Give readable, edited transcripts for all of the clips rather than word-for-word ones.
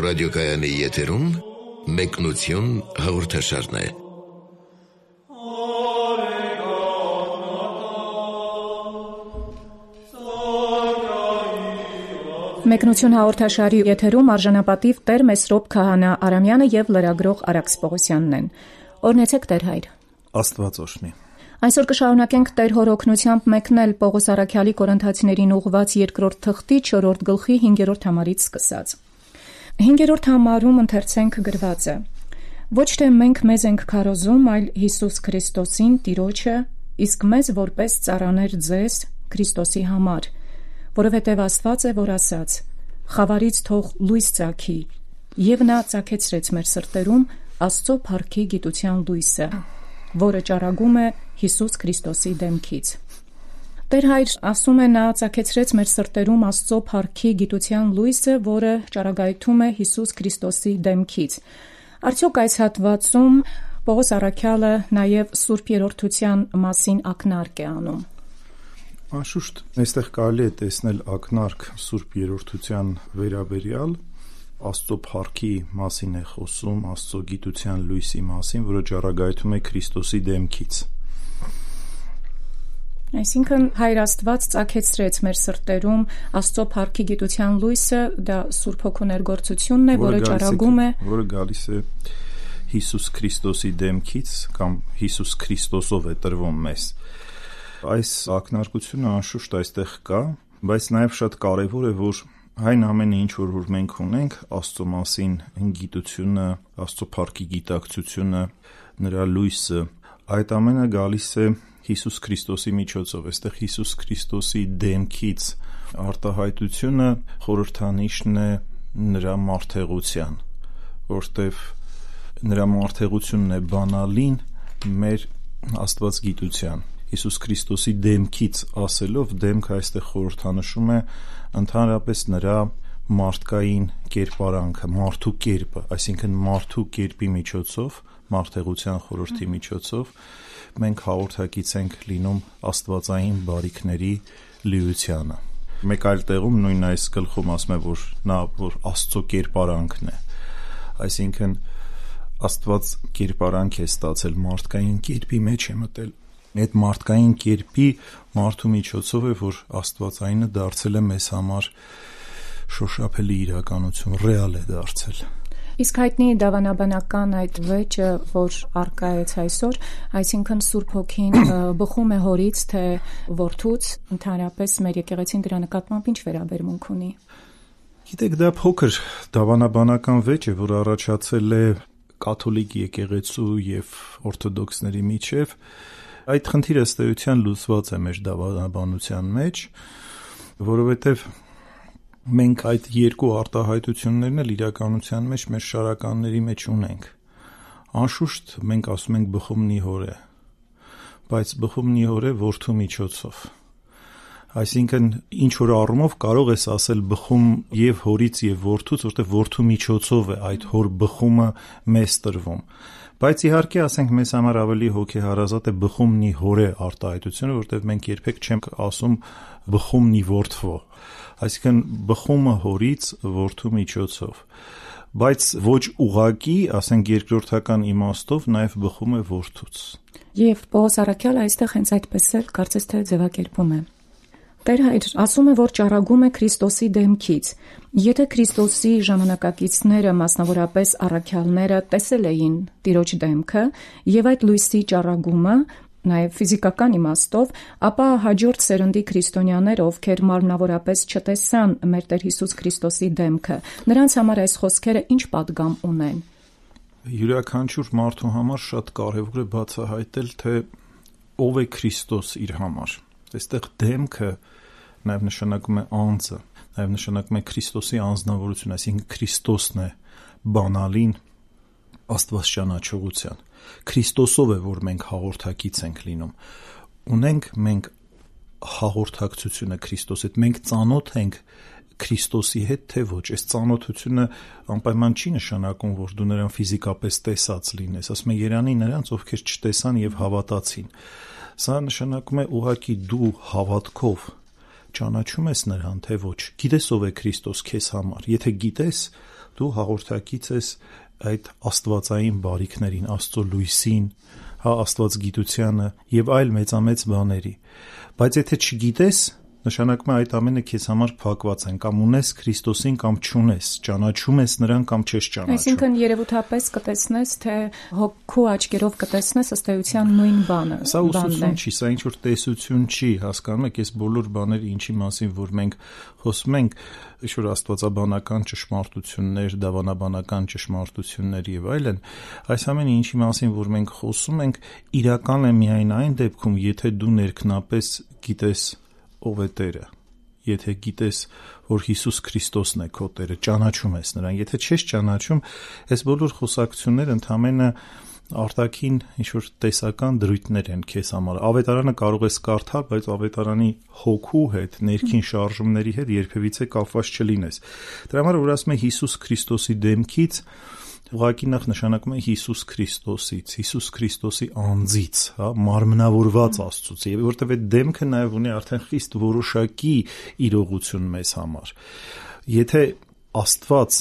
ռադիոկայանի եթերում մեկնություն հաղորդաշարն է։ Մեկնություն հաղորդաշարի եթերում արժանապատիվ Տեր Մեսրոպ Քահանա Արամյանը եւ լրագրող Արաքս Պողոսյանն են։ Օրհնեցեք Տեր հայր։ Աստված օրհնի։ Այսօր կշարունակենք Տեր Հոր օգնությամբ մեկնել Պողոս Առաքյալի Կորինթացիներին ուղղված 2-րդ թղթի 4-րդ գլխի 5-րդ համարից սկսած։ 5-րդ համարում ընթերցենք գրված է. Ոչ թե մենք մեզ ենք քարոզում, այլ Հիսուս Քրիստոսին Տիրոջը, իսկ մեզ որպես ծառաներ ձեզ Քրիստոսի համար, որովհետև Աստված է, որ ասաց. խավարից թող լույս ծագի, եւ նա ծագեցրեց մեր սրտերում Աստծո փառքի գիտության լույսը, որը ճառագում է Հիսուս Քրիստոսի դեմքից։ Տեր հայր ասում է, նա ծագեցրեց մեր սրտերում Աստծո փառքի գիտության լույսը, որը ճառագայթում է Հիսուս Քրիստոսի դեմքից։ Արդյոք այս հատվածում Պողոս Առաքյալը նաև Սուրբ Երրորդության մասին ակնարկ է անում։ Անշուշտ, այստեղ կարելի է տեսնել ակնարկ Սուրբ Երրորդության վերաբերյալ, Աստծո փառքի մասին է խոսում, Աստծո գիտության լույսի մասին, որը ճառագայթում է Քրիստոսի դեմքից։ Այսինքն Հայր Աստված ծագեցրեց մեր սրտերում Աստծո փառքի գիտության լույսը, դա Սուրբ Հոգու ներգործությունն է, որը ճառագում է, որը գալիս է Հիսուս Քրիստոսի դեմքից կամ Հիսուս Քրիստոսով է տրվում մեզ։ Այս ակնարկությունը անշուշտ այստեղ կա, բայց նաև շատ կարևոր է, որ այն ամենը ինչ որ մենք ունենք, Աստծո մասին գիտությունը, Աստծո փառքի գիտակցությունը, նրա լույսը, այդ ամենը գալիս է Հիսուս Քրիստոսի միջոցով։ Այստեղ Հիսուս Քրիստոսի դեմքից արտահայտությունը խորհրդանիշն է նրա մարդեղության, որտեղ նրա մարդեղությունն է բանալին մեր աստվածգիտության։ Հիսուս Քրիստոսի դեմքից ասելով, դեմքը այստեղ խորհրդանշում է ընդհանրապես նրա մարդկային կերպարանքը, մարդու կերպը, այսինքն մարդու կերպի միջոցով, մարդեղության խորհրդի միջոցով մենք հաղորդակից ենք լինում աստվածային բարիքների լիությանը։ Մեկ այլ տեղում նույն այս գլխում ասում է, որ նա որ Աստծո կերպարանքն է, այսինքն Աստված կերպարանք է ստացել, մարդկային կերպի մեջ է մտել։ Այդ մարդկային կերպի մարդու միջոցով է, որ Աստվածայինը դարձել է մեզ համար շոշափելի իրականություն, ռեալ է դարձել։ Իսկ հայտնի դավանաբանական այդ վեճը, որ առկա է այսօր, այսինքն Սուրբ Հոգին բխում է հորից, թե որդուց, ընդհանրապես մեր եկեղեցին դրա նկատմամբ ինչ վերաբերմունք ունի։ Գիտեք, դա փոքր դավանաբանական վեճ է, որ առաջացել է կաթոլիկ եկեղեցու եւ օրթոդոքսների միջև։ Այդ խնդիրը ըստ էության լուծված է մեր դավանաբանության մեջ, որովհետև մենք այդ երկու արտահայտություններն էլ իրականության մեջ մեր շարականների մեջ ունենք։ Անշուշտ մենք ասում ենք բխումնի հոր է, բայց բխումնի հոր է որդու միջոցով։ Այսինքն ինչ որ առումով կարող ես ասել բխում եւ հորից եւ որդուց, որտեղ որդու միջոցով է այդ հոր բխումը մեզ տրվում։ Բայց իհարկե ասենք մեզ համար ավելի հոգեհարազատ է բխումնի հորե արտահայտությունը, որտեղ մենք երբեք չենք ասում բխումնի որդվո, այսինքն բխումը հորից որդու միջոցով, բայց ոչ ուղակի, ասենք երկրորդական իմաստով նաև բխում է որդուց։ Եվ Պողոս Առաքյալը այստեղ հենց այդպես էլ կարծես թե ձևակերպում է։ Տեր հայր ասում է, որ ճառագում է Քրիստոսի դեմքից։ Եթե Քրիստոսի ժամանակակիցները, մասնավորապես առաքյալները, տեսել էին Տիրոջ դեմքը եւ այդ լույսի ճառագումը, նաև ֆիզիկական իմաստով, ապա հաջորդ սերնդի քրիստոնյաներ, ովքեր մարմնավորապես չտեսան մեր Տեր Հիսուս Քրիստոսի դեմքը, նրանց համար այս խոսքերը ինչ պատգամ ունեն։ Յուրաքանչյուր մարդու համար շատ կարևոր է բացահայտել, թե ով է Քրիստոս իր համար։ Այստեղ դեմքը նաև նշանակում է անձը, նաև նշանակում է Քրիստոսի անձնավորություն, այսինքն Քրիստոսն է բանալին Աստված ճանաչողության։ Քրիստոսով է, որ մենք հաղորդակից ենք լինում։ Ունենք մենք հաղորդակցությունը Քրիստոսի հետ, մենք ծանոթ ենք Քրիստոսի հետ, թե ոչ։ Այս ծանոթությունը անպայման չի նշանակում, որ դու նրան ֆիզիկապես տեսած լինես, ասում է Երանի նրանց, ովքեր չտեսան եւ հավատացին։ Սա նշանակում է ուղղակի դու հավատքով ճանաչում ես նրան, թե ոչ։ Գիտես ով է Քրիստոս քեզ համար։ Եթե գիտես, դու հաղորդակից ես այդ աստվածային բարիքներին, Աստծո լույսին, Աստված գիտությանը եւ այլ մեծամեծ բաների։ Բայց եթե չգիտես, նշանակում է այդ ամենը քեզ համար փակված են, կամ ունես Քրիստոսին կամ չունես, ճանաչում ես նրան կամ չես ճանաչում։ Այսինքն երևութապես կտեսնես, թե հոգու աչքերով կտեսնես ըստ էության նույն բանը։ Սա ուսուցում չի, սա ինչ-որ տեսություն չի, հասկանում եք, այս բոլոր բաները ինչի մասին, որ մենք խոսում ենք, ինչ-որ աստվածաբանական ճշմարտություններ, դավանաբանական ճշմարտություններ եւ այլն, այս ամենը ինչի մասին, որ մենք խոսում ենք, իրական է միայն այն դեպքում, եթե դու ներքնապես գիտես ով է Տերը, եթե գիտես, որ Հիսուս Քրիստոսն է քո Տերը, ճանաչում ես նրան, եթե չես ճանաչում, այս բոլոր խոսակցությունները ընդհանրապես արտաքին ինչ-որ տեսական դրույթներ են քեզ համար։ Ավետարանը կարող ես կարդալ, բայց ավետարանի հոգու հետ, ներքին շարժումների հետ երբևիցե կապված չլինես։ Դրա համար որ ասում է Հիսուս Քրիստոսի դեմքից, ուղղակի նախ նշանակում է Հիսուս Քրիստոսից, Հիսուս Քրիստոսի անձից, մարմնավորված Աստծուց, եւ որտեւ այդ դեմքը նաեւ ունի արդեն խիստ որոշակի իրողություն մեզ համար։ Եթե Աստված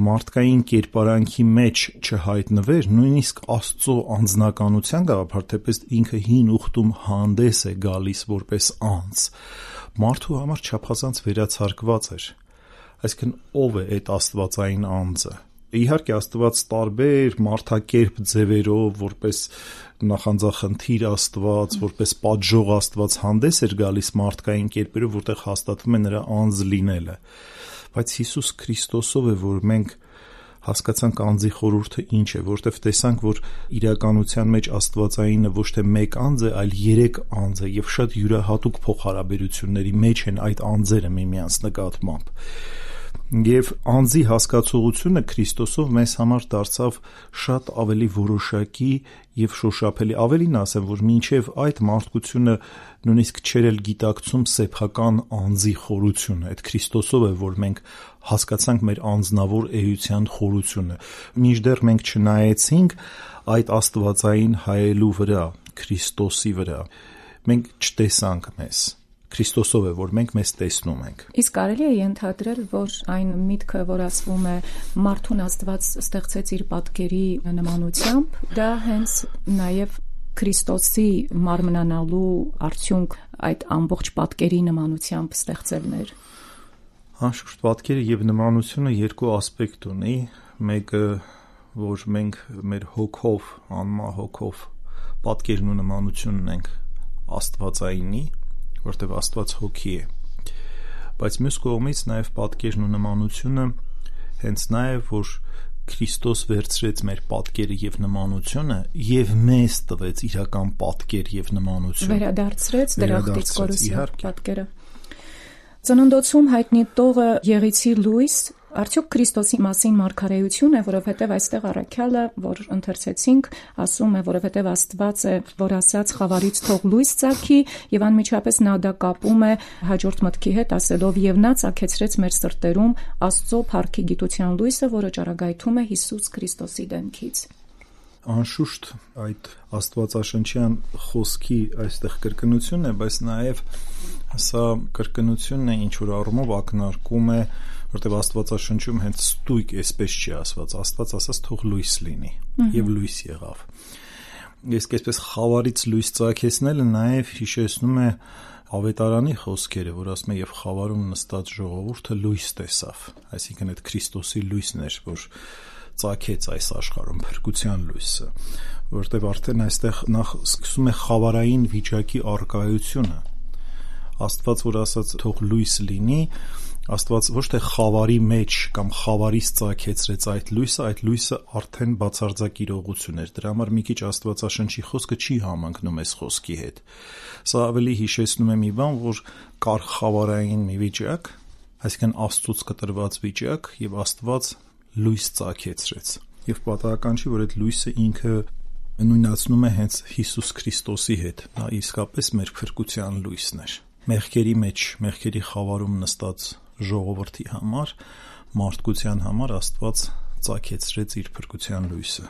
մարդկային կերպարանքի մեջ չհայտնվեր, նույնիսկ Աստծո անձնականության գաղափար, թեպետ ինքը հին ուխտում հանդես է գալիս որպես անձ, մարդու համար չափազանց վերացարկված էր։ Այսինքն ով է այդ աստվածային անձը։ Իհարկե Աստված տարբեր մարդակերպ ձևերով, որպես նախանձախնդիր Աստված, որպես պատժող Աստված հանդես էր գալիս մարդկային կերպերով, որտեղ հաստատվում է նրա անձ լինելը։ Բայց Հիսուս Քրիստոսով է, որ մենք հասկացանք անձի խորհուրդը ինչ է, որտեղ տեսանք, որ իրականության մեջ աստվածայինը ոչ թե մեկ անձ է, այլ 3 անձ է եւ շատ յուրահատուկ փոխհարաբերությունների մեջ են այդ անձերը միմյանց նկատմամբ։ Եվ անձի հասկացողությունը Քրիստոսով մեզ համար դարձավ շատ ավելի որոշակի եւ շոշափելի։ Ավելին ասեմ, որ մինչեւ այդ մարդկությունը նույնիսկ չէր էլ գիտակցում սեփական անձի խորությունը։ Այդ Քրիստոսով է, որ մենք հասկացանք մեր անձնավոր էության խորությունը։ Մինչդեռ մենք չնայեցինք այդ աստվածային հայելու վրա, Քրիստոսի վրա, մենք չտեսանք մեզ։ Քրիստոսով է, որ մենք մեզ տեսնում ենք։ Իսկ կարելի է ենթադրել, որ այն միտքը, որ ասվում է մարդուն Աստված ստեղծեց իր պատկերի նմանությամբ, դա հենց նաև Քրիստոսի մարմնանալու արդյունք այդ ամբողջ պատկերի նմանությամբ ստեղծելն էր։ Անշուշտ պատկերը եւ նմանությունը երկու ասպեկտ ունի, մեկը, որ մենք մեր հոգով, անմահ հոգով պատկերն ու նմանությունն ենք աստվածայինի, որտեղ Աստված հոգի է, բայց մյուս կողմից նաև պատկերն ու նմանությունը հենց նա է, որ Քրիստոս վերցրեց մեր պատկերը եւ նմանությունը եւ մեզ տվեց իրական պատկեր եւ նմանություն, վերադարձրեց դրախտից կորուսի պատկերը։ Ծննդոցում հայտնի տողը Եղիցի լույս, արդյոք Քրիստոսի մասին մարգարեություն է, որովհետև այստեղ առաքյալը, որ ընթերցեցինք, ասում է, որովհետև Աստված է, որ ասաց խավարից թող լույս ծագի, եւ անմիջապես նա դա կապում է հաջորդ մտքի հետ, ասելով եւ նա ծագեցրեց մեր սրտերում Աստծո փառքի գիտության լույսը, որը ճառագայթում է Հիսուս Քրիստոսի դեմքից։ Անշուշտ այդ աստվածաշնչյան խոսքի այստեղ կրկնությունն է, բայց նաև սա կրկնությունն է, ինչ որ առումով ակնարկում է, որտեղ աստվածաշնչում հենց ստույգ այսպես չի ասված, Աստված ասաց թող լույս լինի եւ լույս եղավ։ Իսկ այսպես խավարից լույս ծագեցնելը նաև հիշեցնում է Ավետարանի խոսքերը, որ ասում է եւ խավարում նստած ժողովուրդը լույս տեսավ, այսինքն այդ Քրիստոսի լույսն էր, որ ծագեց այս աշխարհում փրկության լույսը, որտեղ արդեն այստեղ նախ սկսում է խավարային վիճակի արկայությունը։ Աստված, որ ասաց թող լույս լինի, Աստված ոչ թե խավարի մեջ կամ խավարից ծագեցրեց այդ լույսը արդեն բացարձակ իրողություն էր։ Դրա համար մի քիչ Աստվածաշնչի խոսքը չի համընկնում այս խոսքի հետ։ Սա ավելի հիշեցնում է մի բան, որ կար խավարային մի վիճակ, այսինքն Աստծուց կտրված վիճակ, եւ Աստված լույս ծագեցրեց։ Եվ պատահական չի, որ այդ լույսը ինքը նույնացնում է հենց Հիսուս Քրիստոսի հետ։ Նա իսկապես մեր փրկության լույսն էր։ Մեղքերի մեջ, մեղքերի խավարում նստած ժողովրդի համար, մարդկության համար Աստված ծագեցրեց իր փրկության լույսը։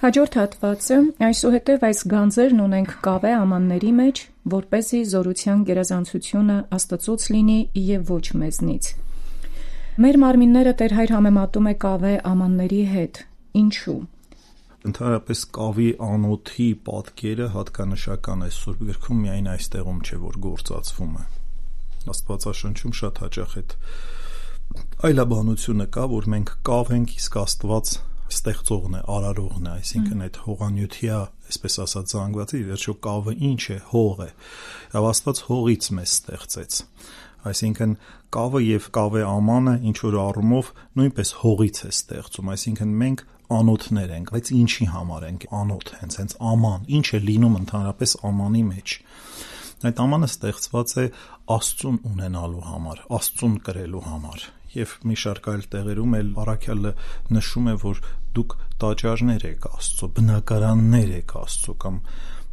Հաջորդ հատվածը այսուհետև այս գանձերն ունենք կավե ամանների մեջ, որպեսզի զորության գերազանցությունը Աստծուց լինի եւ ոչ մեզնից։ Մեր մարմինները Տեր Հայր համեմատում է կավե ամանների հետ։ Ինչու՞։ Ընդհանրապես կավի անոթի պատկերը հատկանշական է Սուրբ գրքում, միայն այստեղում չէ, որ գործածվում է։ Աստվածաշնչում շատ հաճախ այդ այլաբանությունը կա, որ մենք կավ ենք, իսկ Աստված ստեղծողն է, արարողն է, այսինքն այդ հողանյութիա, այսպես ասած, զանգվածի վերջո կավը ինչ է, հող է։ Եվ Աստված հողից մեզ ստեղծեց։ Այսինքն կավը եւ կավե ամանը ինչ որ առումով նույնպես հողից է ստեղծում, այսինքն մենք անոթներ ենք, բայց ինչի համար ենք անոթ, հենց աման, ինչ է լինում ընդհանրապես ամանի մեջ։ Այդ ամանը ստեղծված է Աստծուն ունենալու համար, Աստծուն կրելու համար։ Եվ մի շարք այլ տեղերում էլ առաքյալը նշում է, որ դուք տաճարներ եք Աստծո, բնակարաններ եք Աստծո, կամ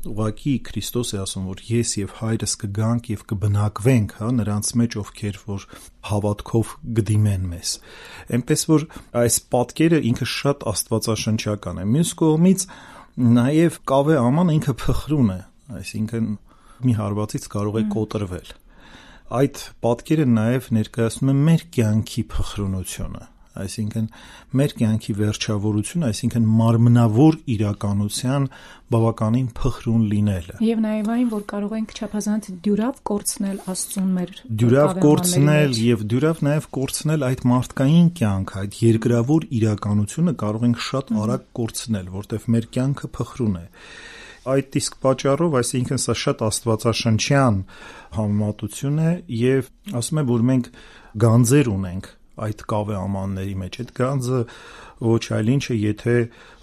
ուղղակի Քրիստոս է ասում, որ ես եւ Հայրս կգանք եւ կբնակվենք, նրանց մեջ, ովքեր որ հավատքով կդիմեն մեզ։ Այնպես որ այս պատկերը ինքը շատ աստվածաշնչական է։ Մյուս կողմից նաեւ կավե աման ինքը փխրուն է, այսինքն մի հարվածից կարող է կոտրվել։ Այդ պատկերը նաեւ ներկայացնում է մեր կյանքի փխրունությունը, այսինքն մեր կյանքի վերջավորությունը, այսինքն մարմնավոր իրականության բավականին փխրուն լինելը։ Եվ նաև այն, որ կարող ենք չափազանց դյուրավ կորցնել Աստծուն մեր դյուրավ կորցնել եւ դյուրավ նաև կորցնել այդ մարդկային կյանքը, այդ երկրավոր իրականությունը կարող ենք շատ արագ կորցնել, որտեղ մեր կյանքը փխրուն է։ Այդ իսկ պատճառով, այսինքն սա շատ աստվածաշնչյան համեմատություն է եւ ասում է, որ մենք գանձեր ունենք այդ կավե ամանների մեջ։ Այդ գանձը ոչ այլ ինչ է, եթե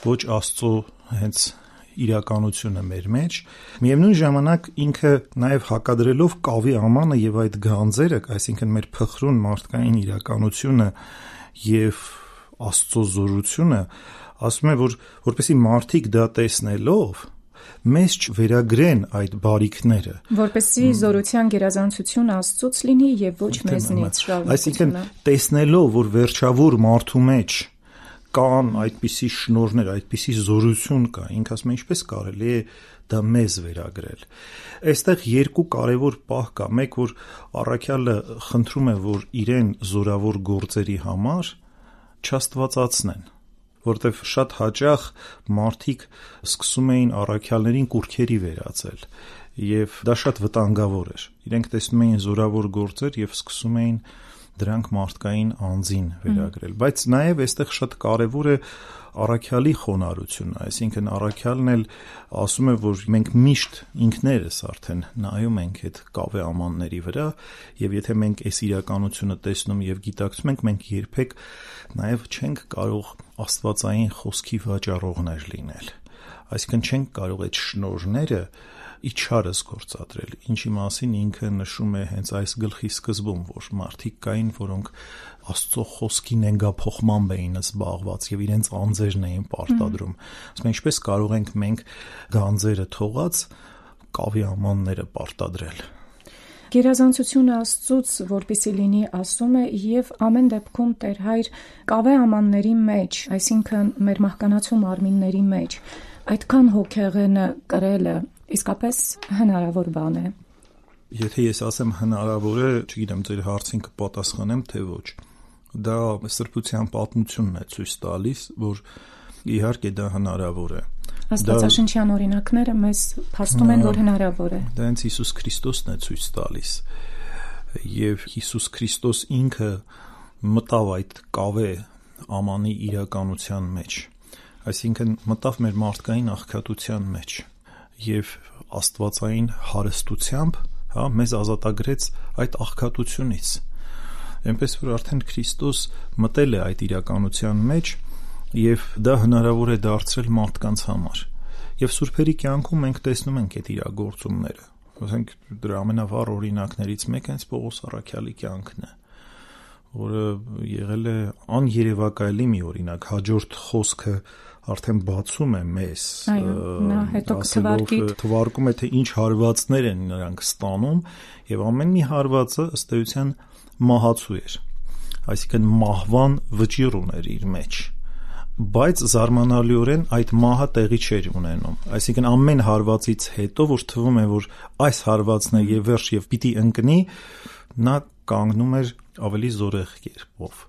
ոչ Աստծո հենց իրականությունը մեր մեջ։ Միևնույն ժամանակ ինքը նաև հակադրելով կավի ամանը եւ այդ գանձերը, այսինքն մեր փխրուն մարդկային իրականությունը եւ Աստծո զորությունը, ասում է, որ որպեսզի մարդիկ դա տեսնելով մեզ չվերագրեն այդ բարիքները, որպեսզի զորության գերազանցություն Աստծուց լինի եւ ոչ մեզնից շարունակությունը։ Այսինքն տեսնելով, որ վերջավոր մարդու մեջ կան այդպիսի շնորհներ, այդպիսի զորություն կա, ինքը ասում է, ինչպես կարելի է դա մեզ վերագրել։ Այստեղ երկու կարևոր պահ կա, մեկ որ առաքյալը խնդրում է, որ իրեն զորավոր գործերի համար չաստվածացնեն, որտեվ շատ հաճախ մարդիկ սկսում էին առաքյալներին կուրքերի վերածել եւ դա շատ վտանգավոր էր։ Իրենք տեսնում էին զորավոր գործեր եւ սկսում էին դրանք մարդկային անձին վերագրել։ Բայց նաեւ այստեղ շատ կարեւոր է առաքյալի խոնարհությունը, այսինքն առաքյալն էլ ասում է, որ մենք միշտ ինքներս արդեն նայում ենք այդ կավե ամանների վրա եւ եթե մենք այս իրականությունը տեսնում եւ գիտակցում ենք, մենք երբեք նաեւ չենք կարող աստվածային խոսքի վաճառողներ լինել։ Այսինքն չենք կարող այդ շնորհները իչարս գործադրել, ինչի մասին ինքը նշում է հենց այս գլխի սկզբում, որ մարդիկ կային, որոնք Աստծո խոսքի նենգափոխմամբ էին զբաղված եւ իրենց անձերն էին պարտադրում։ Ասում են, ինչպես կարող ենք մենք գանձերը թողած կավի ամանները պարտադրել։ Գերազանցությունը Աստծուց, որպեսզի լինի, ասում է, եւ ամեն դեպքում Տեր Հայր կավե ամանների մեջ, այսինքն մեր մահկանացու մարմինների մեջ, այդքան հոգեղենը կրելը իսկապես հնարավոր բան է։ Եթե ես ասեմ հնարավոր է, չգիտեմ, ձեր հարցին կպատասխանեմ, թե ոչ։ Դա սրբության պատմությունն է ցույց տալիս, որ իհարկե դա հնարավոր է։ Աստվածաշնչյան օրինակները մեզ փաստում են, որ հնարավոր է։ Դա հենց Հիսուս Քրիստոսն է ցույց տալիս։ Եվ Հիսուս Քրիստոս ինքը մտավ այդ կավե ամանի իրականության մեջ։ Այսինքն մտավ մեր մարդկային աղքատության մեջ եւ աստվածային հարստությամբ, մեզ ազատագրեց այդ աղքատությունից։ Այնպես որ արդեն Քրիստոս մտել է այդ իրականության մեջ եւ դա հնարավոր է դարձրել մարդկանց համար։ Եվ սուրբերի կյանքում մենք տեսնում ենք այդ իրագործումները։ Ասենք դրա ամենավառ օրինակներից մեկը հենց Պողոս առաքյալի կյանքն է, որը եղել է աներևակայելի մի օրինակ, հաջորդ խոսքը արդեն բացում է մեզ, նա հետո թվարկում է, թե ինչ հարվածներ են նրանք ստանում եւ ամեն մի հարվածը ըստ էության մահացու էր, այսինքն մահվան վճիռ ուներ իր մեջ, բայց զարմանալիորեն այդ մահը տեղի չէր ունենում, այսինքն ամեն հարվածից հետո, որ թվում է, որ այս հարվածն է եւ վերջ եւ պիտի ընկնի, նա կանգնում էր ավելի զորեղ կերպով։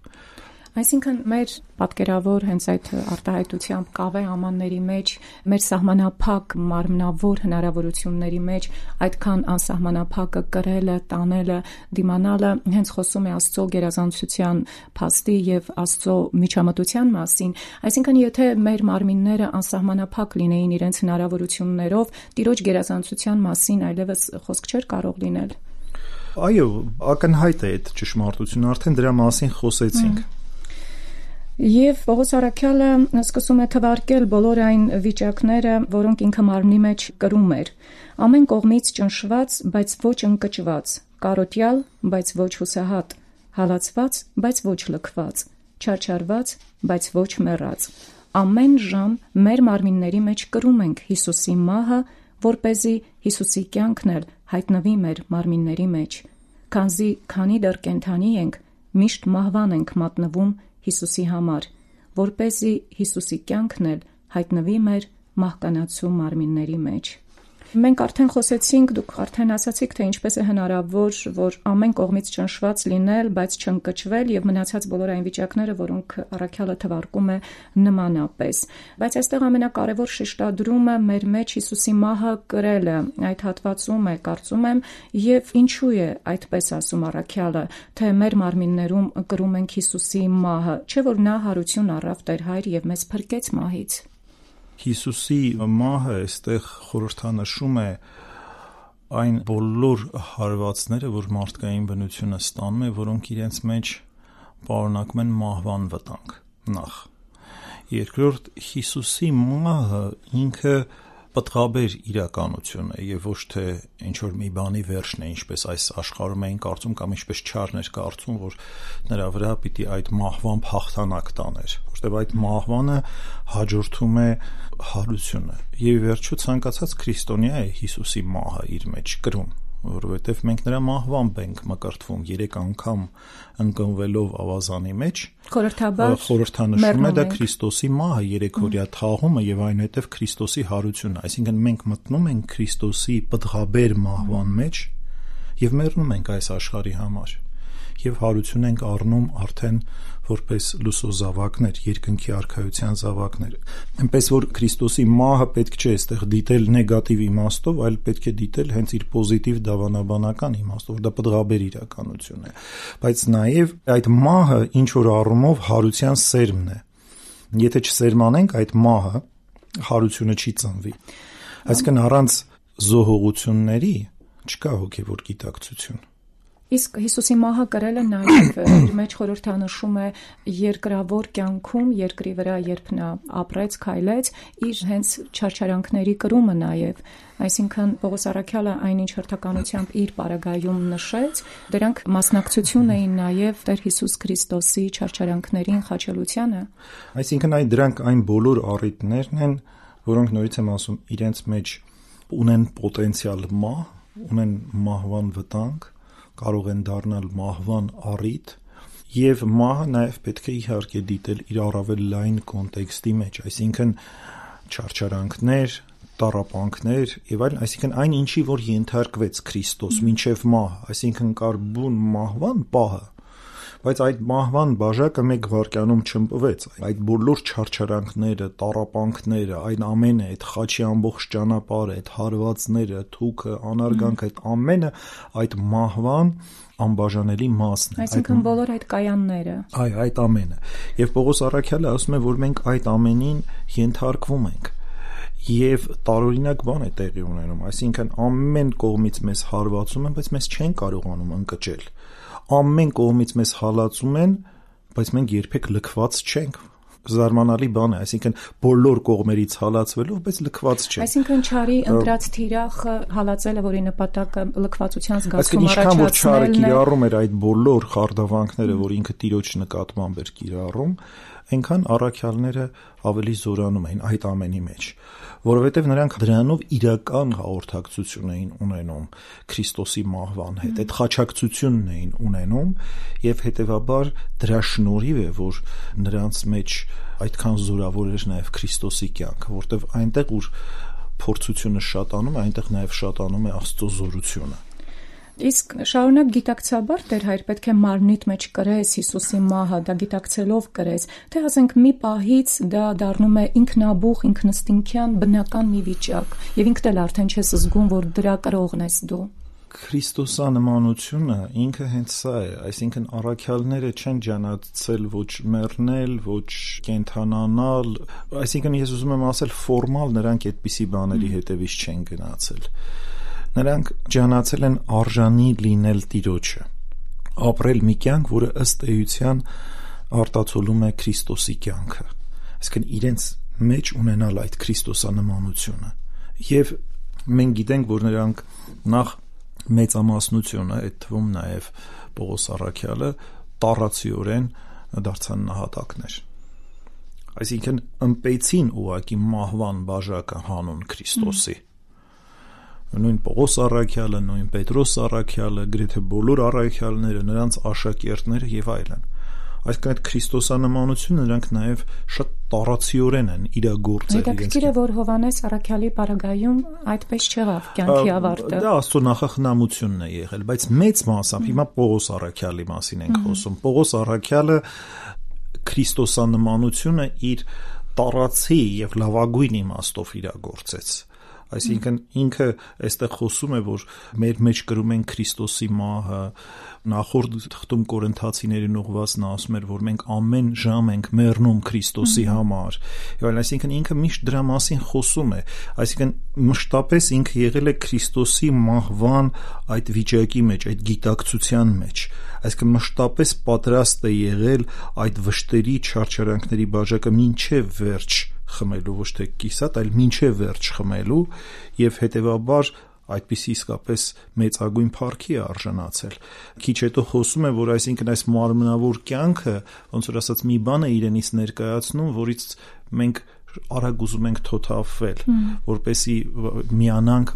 Այսինքն մեր պատկերավոր հենց այդ արտահայտությամբ կավե ամանների մեջ, մեր սահմանափակ մարմնավոր հնարավորությունների մեջ այդքան անսահմանափակը կրելը, տանելը, դիմանալը հենց խոսում է Աստծո գերազանցության փաստի եւ Աստծո միջամտության մասին։ Այսինքն եթե մեր մարմինները անսահմանափակ լինեին իրենց հնարավորություններով, Տիրոջ գերազանցության մասին այլևս խոսք չէր կարող լինել։ Այո, ակնհայտ է այդ ճշմարտությունը, արդեն դրա մասին խոսեցինք։ Եվ Պողոս առաքյալը սկսում է թվարկել բոլոր այն վիճակները, որոնք ինքը մարմնի մեջ կրում էր։ Ամեն կողմից ճնշված, բայց ոչ ընկճված, կարոտյալ, բայց ոչ հուսահատ, հալածված, բայց ոչ լքված, չարչարված, բայց ոչ մեռած։ Ամեն ժամ մեր մարմինների մեջ կրում ենք Հիսուսի մահը, որպեսզի Հիսուսի կյանքն էլ հայտնվի մեր մարմինների մեջ։ Քանի դեռ կենդանի ենք, միշտ մահվան ենք մատնվում Հիսուսի համար, որպեսզի Հիսուսի կյանքն էլ հայտնվի մեր մահկանացու մարմինների մեջ։ Մենք արդեն խոսեցինք, դուք արդեն ասացիք, թե ինչպես է հնարավոր, որ ամեն կողմից ճնշված լինել, բայց չընկճվել եւ մնացած բոլոր այն վիճակները, որոնք առաքյալը թվարկում է նմանապես։ Բայց այստեղ ամենակարևոր շեշտադրումը մեր մեջ Հիսուսի մահը կրելը, այդ հատվածում է, կարծում եմ, եւ ինչու է այդպես ասում առաքյալը, թե մեր մարմիններում կրում ենք Հիսուսի մահը, չէ՞ որ նա հարություն առավ Տեր Հայր եւ մեզ փրկեց մահից։ Հիսուսի մահը այստեղ խորհրդանշում է այն բոլոր հարվածները, որ մարդկային բնությունը ստանում է, որոնք իրենց մեջ պարունակում են մահվան վտանգ։ Նախ։ Երկրորդ, Հիսուսի մահը ինքը պտղաբեր իրականություն է եւ ոչ թե ինչ-որ մի բանի վերջն է, ինչպես այս աշխարհում էին կարծում կամ ինչպես չարներ կարծում, որ նրա վրա պիտի այդ մահվան հաղթանակ տաներ, որտեղ այդ մահվանը հաջորդում է հարությունը եւ վերջու ցանկացած քրիստոնյա է Հիսուսի մահը իր մեջ կրում, որովհետեւ մենք նրա մահվամբ ենք մկրտվում 3 անգամ ընկնվելով ավազանի մեջ, խորհրդանշում է դա Քրիստոսի մահը, 3-օրյա թաղումը եւ այնուհետեւ Քրիստոսի հարությունը, այսինքն մենք մտնում ենք Քրիստոսի պտղաբեր մահվան մեջ եւ մեռնում ենք այս աշխարհի համար եւ հարություն ենք առնում արդեն որպես լուսո զավակներ, երկնքի արքայության զավակներ։ Այնպես որ Քրիստոսի մահը պետք չէ այստեղ դիտել նեգատիվ իմաստով, այլ պետք է դիտել հենց իր պոզիտիվ դավանաբանական իմաստով, որ դա պտղաբեր իրականություն է։ Բայց նաեւ այդ մահը ինչ որ առումով հարության սերմն է։ Եթե չսերմանենք այդ մահը, հարությունը չի ծնվի։ Այսինքն առանց զոհողությունների չկա հոգևոր գիտակցություն։ Իսկ Հիսուսի մահը կրելը նաև իր մեջ խորհրդանշում է երկրավոր կյանքում, երկրի վրա երբ նա ապրեց, քայլեց, իր հենց չարչարանքների կրումը նաև, այսինքն Պողոս առաքյալը այնինչ հերթականությամբ իր պարագայում նշեց, դրանք մասնակցություն էին նաև Տեր Հիսուս Քրիստոսի չարչարանքներին, խաչելությանը։ Այսինքն դրանք այն բոլոր առիթներն են, որոնք նորից եմ ասում, իրենց մեջ ունեն պոտենցիալ մահ, ունեն մահվան վտանգ, կարող են դառնալ մահվան առիթ եւ մահը նաեւ պետք է իհարկե դիտել իր առավել լայն կոնտեքստի մեջ, այսինքն չարչարանքներ, տառապանքներ եւ այլն, այսինքն այն ինչի որ ենթարկվեց Քրիստոս մինչեւ մահ, այսինքն կար բուն մահվան պահը, բայց այդ մահվան բաժակը մեկ վայրկյանում չըմպվեց, այդ բոլոր չարչարանքները, տառապանքները, այն ամենը, այդ խաչի ամբողջ ճանապարհը, այդ հարվածները, թուքը, անարգանքը, այդ ամենը այդ մահվան անբաժանելի մասն է։ Այսինքն բոլոր այդ կայանները։ Այո, այդ ամենը։ Եվ Պողոս առաքյալը ասում է, որ մենք այդ ամենին ենթարկվում ենք։ Եվ տարօրինակ բան է տեղի ունենում, այսինքն ամեն կողմից մեզ հարվածում են, բայց մեզ չեն կարողանում ընկճել։ Ամեն կողմից մեզ հալածում են, բայց մենք երբեք լքված չենք։ Զարմանալի բան է, այսինքն բոլոր կողմերից հալածվելով, բայց լքված չենք։ Այսինքն չարի ընտրած թիրախը հալածելը, որի նպատակը լքվածության զգացում առաջացնելն է։ Այսինքն ինչքան որ չարը կիրառում էր այդ բոլոր խարդավանքները, որ ինքը Տիրոջ նկատմամբ էր կիրառում, այնքան առաքյալները ավելի զորանում էին այդ ամենի մեջ, որովհետև նրանք դրանով իրական հաղորդակցություն էին ունենում Քրիստոսի մահվան հետ, այդ խաչակցությունն էին ունենում եւ հետեւաբար դրա շնորհիվ է, որ նրանց մեջ այդքան զորավոր էր նաեւ Քրիստոսի կյանքը, որտեվ այնտեղ ուր փորձությունը շատանում է, այնտեղ նաեւ շատանում է Աստծո զորությունը։ Իսկ շարունակ գիտակցաբար Տեր Հայր պետք է մարմնիդ մեջ կրես Հիսուսի մահը, դա գիտակցելով կրես, թե ասենք մի պահից դա դառնում է ինքնաբուխ, ինքնըստինքյան բնական մի վիճակ, եւ ինքդ էլ արդեն չես զգում, որ դրա կրողն ես դու։ Քրիստոսանմանությունը ինքը հենց սա է, այսինքն առաքյալները չեն ջանացել ոչ մեռնել, ոչ կենթանանալ, այսինքն ես ուզում եմ ասել ֆորմալ նրանք այդպիսի բաների հետևից չեն գնացել։ Նրանք ջանացել են արժանի լինել Տիրոջը, ապրել մի կյանք, որը ըստ էության արտացոլում է Քրիստոսի կյանքը, այսինքն իրենց մեջ ունենալ այդ քրիստոսանմանությունը։ Եվ մենք գիտենք, որ նրանք նախ մեծամասնությունը, այդ թվում նաև Պողոս առաքյալը, տառացիորեն դարձան նահատակներ։ Այսինքն ըմպեցին ուղղակի մահվան բաժակը հանուն Քրիստոսի։ Նույն Պողոս առաքյալը, նույն Պետրոս առաքյալը, գրեթե բոլոր առաքյալները, նրանց աշակերտները եւ այլն։ Այսինքն այդ քրիստոսանմանությունը նրանք նաև շատ տառացիորեն են իրագործել։ Հետաքրքիր է, որ Հովհաննես առաքյալի պարագայում այդպես չեղավ կյանքի ավարտը։ Դա Աստծո նախախնամությունն է եղել, բայց մեծ մասամբ հիմա Պողոս առաքյալի մասին ենք խոսում։ Պողոս առաքյալը քրիստոսանմանությունը իր տառացի եւ լավագույն իմաստով իրագործեց։ Այսինքն ինքը այստեղ խոսում է, որ մեր մեջ կրում են Քրիստոսի մահը, նախորդ թղթում Կորինթացիներին ուղղվածն ասում էր, որ մենք ամեն ժամ ենք մեռնում Քրիստոսի համար։ Եվ այլն, այսինքն ինքը միշտ դրա մասին խոսում է, այսինքն մշտապես ինքը եղել է Քրիստոսի մահվան այդ վիճակի մեջ, այդ գիտակցության մեջ, այսինքն մշտապես պատրաստ է եղել այդ վշտերի չարչարանքների բաժակը մինչև վերջ խմելու, ոչ թե կիսատ, այլ մինչև վերջ խմելու, եւ հետեւաբար այդպիսի իսկապես մեծագույն փառքի է արժանացել։ Քիչ հետո խոսում է, որ այսինքն այս մարմնավոր կյանքը, ոնց որ ասած, մի բան է իրենից ներկայացնում, որից մենք արագ ուզում ենք թոթափվել, որպեսի միանանք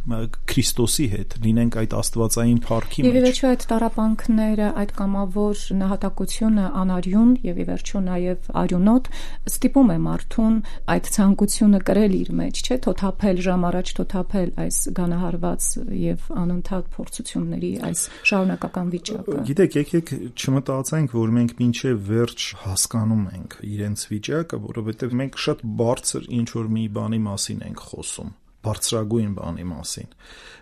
Քրիստոսի հետ, լինենք այդ աստվածային փառքի մեջ։ Եվ ի վերջո այդ տառապանքները, այդ կամավոր նահատակությունը անարյուն եւ ի վերջո նաեւ արյունոտ ստիպում է մարդուն այդ ցանկությունը կրել իր մեջ, չէ՞, թոթափել, ժամ առաջ թոթափել այս գանահարված եւ անընդհատ փորձությունների այս շարունակական վիճակը։ Գիտեք, եկեք չմտածենք, որ մենք մինչև վերջ հասկանում ենք իրենց վիճակը, որովհետեւ մենք շատ բարձր ինչ որ մի բանի մասին ենք խոսում, բարձրագույն բանի մասին։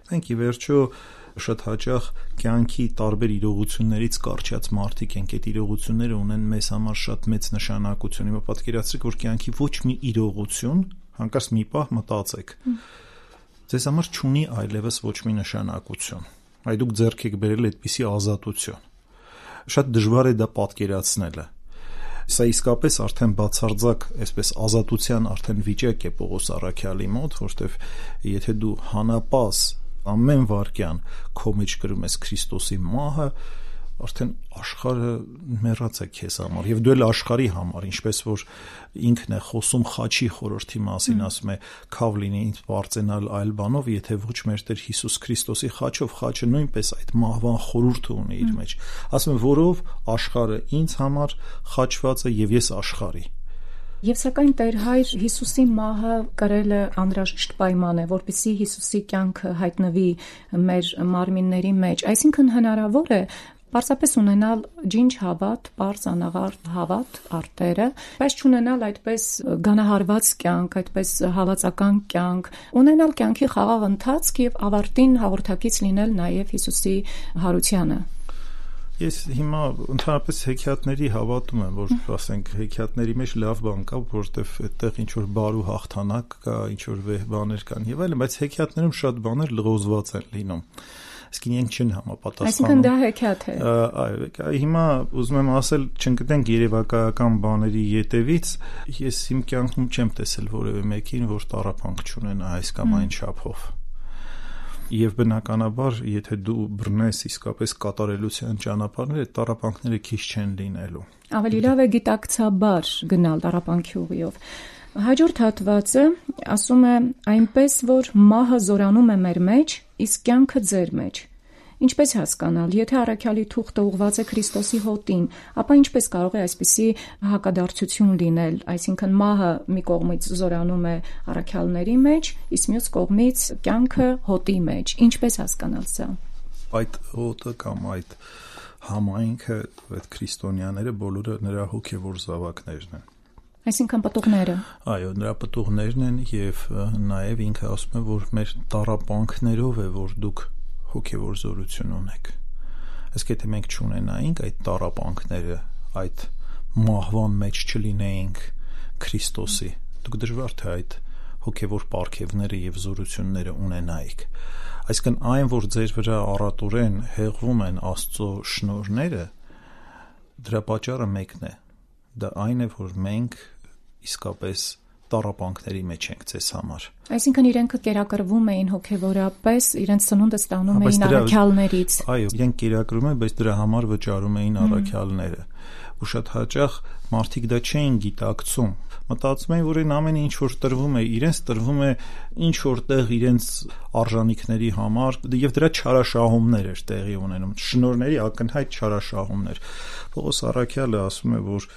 Մենք ի վերջո շատ հաճախ կյանքի տարբեր իրողություններից կարճած մարդիկ ենք, այդ իրողությունները ունեն մեզ համար շատ մեծ նշանակություն։ Հիմա պատկերացրեք, որ կյանքի ոչ մի իրողություն, հանկարծ մի պահ մտածեք, ձեզ համար չունի այլևս ոչ մի նշանակություն։ Այ դուք ձեռք եք բերել այդպիսի ազատություն։ Շատ դժվար է դա պատկերացնելը։ Սա իսկապես արդեն բացարձակ, այսպես ազատության արդեն վիճակ է Պողոս առաքյալի մոտ, որտեվ եթե դու հանապազ ամեն վարքյան քո մեջ կրում ես Քրիստոսի մահը, արդեն աշխարհը մեռած է քեզ համար, եւ դու էլ աշխարհի համար, ինչպես որ ինքն է խոսում խաչի խորհրդի մասին, ասում է. «Քավ լինի ինձ բարձենալ այլ բանով, եթե ոչ մեր Տեր Հիսուս Քրիստոսի խաչով», խաչը նույնպես այդ մահվան խորհուրդը ունի իր մեջ, ասում է, որով աշխարհը ինձ համար խաչված է եւ ես աշխարհի։ Եվ սակայն Տեր Հայր Հիսուսի մահը կրել է անհրաժեշտ պայման է, որպեսզի Հիսուսի կյանքը հայտնվի մեր մարմինների մեջ, այսինքն հնարավոր է պարզապես ունենալ ջինջ հավատ, պարզ անաղարտ հավատ արտերը, բայց չունենալ այդպես գանահարված կյանք, այդպես հալածական կյանք, ունենալ կյանքի խաղաղ ընթացք եւ ավարտին հաղորդակից լինել նաեւ Հիսուսի հարությանը։ Ես հիմա ընդհանրապես հեքիաթների հավատում եմ, որ ասենք հեքիաթների մեջ լավ բան կա, որովհետև այդտեղ ինչ որ բարու հաղթանակ կա, ինչ որ վեհ բաներ կան եւ այլն, բայց հեքիաթներում շատ բաներ լղոզված են լինում։ Այսինքն իրենք չեն համապատասխանում։ Այսինքն դա հեքիաթ է։ Այո, հիմա ուզում եմ ասել, չընկնենք երևակայական բաների ետևից, ես իմ կյանքում չեմ տեսել որևէ մեկին, որ տառապանք չունենա այս կամ այն չափով։ Եվ բնականաբար, եթե դու բռնես իսկապես կատարելության ճանապարհները, տառապանքները քիչ չեն լինելու։ Ավելի լավ է գիտակցաբար գնալ տառապանքի ուղիով։ Հաջորդ հատվածը ասում է այնպես, որ մահը զորանում է մեր մեջ, իսկ կյանքը ձեր մեջ։ Ինչպես հասկանալ, եթե առաքյալի թուղթը ուղղված է Քրիստոսի հոտին, ապա ինչպես կարող է այսպիսի հակադարձություն լինել, այսինքն մահը մի կողմից զորանում է առաքյալների մեջ, իսկ մյուս կողմից կյանքը հոտի մեջ։ Ինչպես հասկանալ սա։ Այդ հոտը կամ այդ համայնքը, այդ քրիստոնյաները բոլորը նրա հոգևոր զավակներն են։ Այսինքն պտուղները։ Այո, նրա պտուղներն են եւ նաեւ ինքը ասում է, որ մեր տառապանքներով է, որ դուք հոգևոր զորություն ունեք։ Իսկ եթե մենք չունենայինք այդ տառապանքները, այդ մահվան մեջ չլինեինք Քրիստոսի, դուք դժվար թե այդ հոգևոր պարգևները եւ զորությունները ունենայիք։ Այսինքն այն, որ ձեր վրա առատորեն հեղվում են Աստծո շնորհները, դրա պատճառը մեկն է։ Դա այն է, որ մենք իսկապես տառապանքների մեջ ենք ձեզ համար։ Այսինքն իրենք կերակրվում էին հոգևորապես, իրենց ծնունդը ստանում էին առաքյալներից։ Այո, իրենք կերակրում են, բայց դրա համար վճարում էին առաքյալները։ Ու շատ հաճախ մարդիկ դա չէին գիտակցում։ Մտածում էին, որ այն ամենը ինչ որ տրվում է, իրենց տրվում է ինչ որտեղ իրենց արժանինքների համար, եւ դրա չարաշահումներ էր տեղի ունենում, շնորհների ակնհայտ չարաշահումներ։ Պողոս առաքյալը ասում է, որ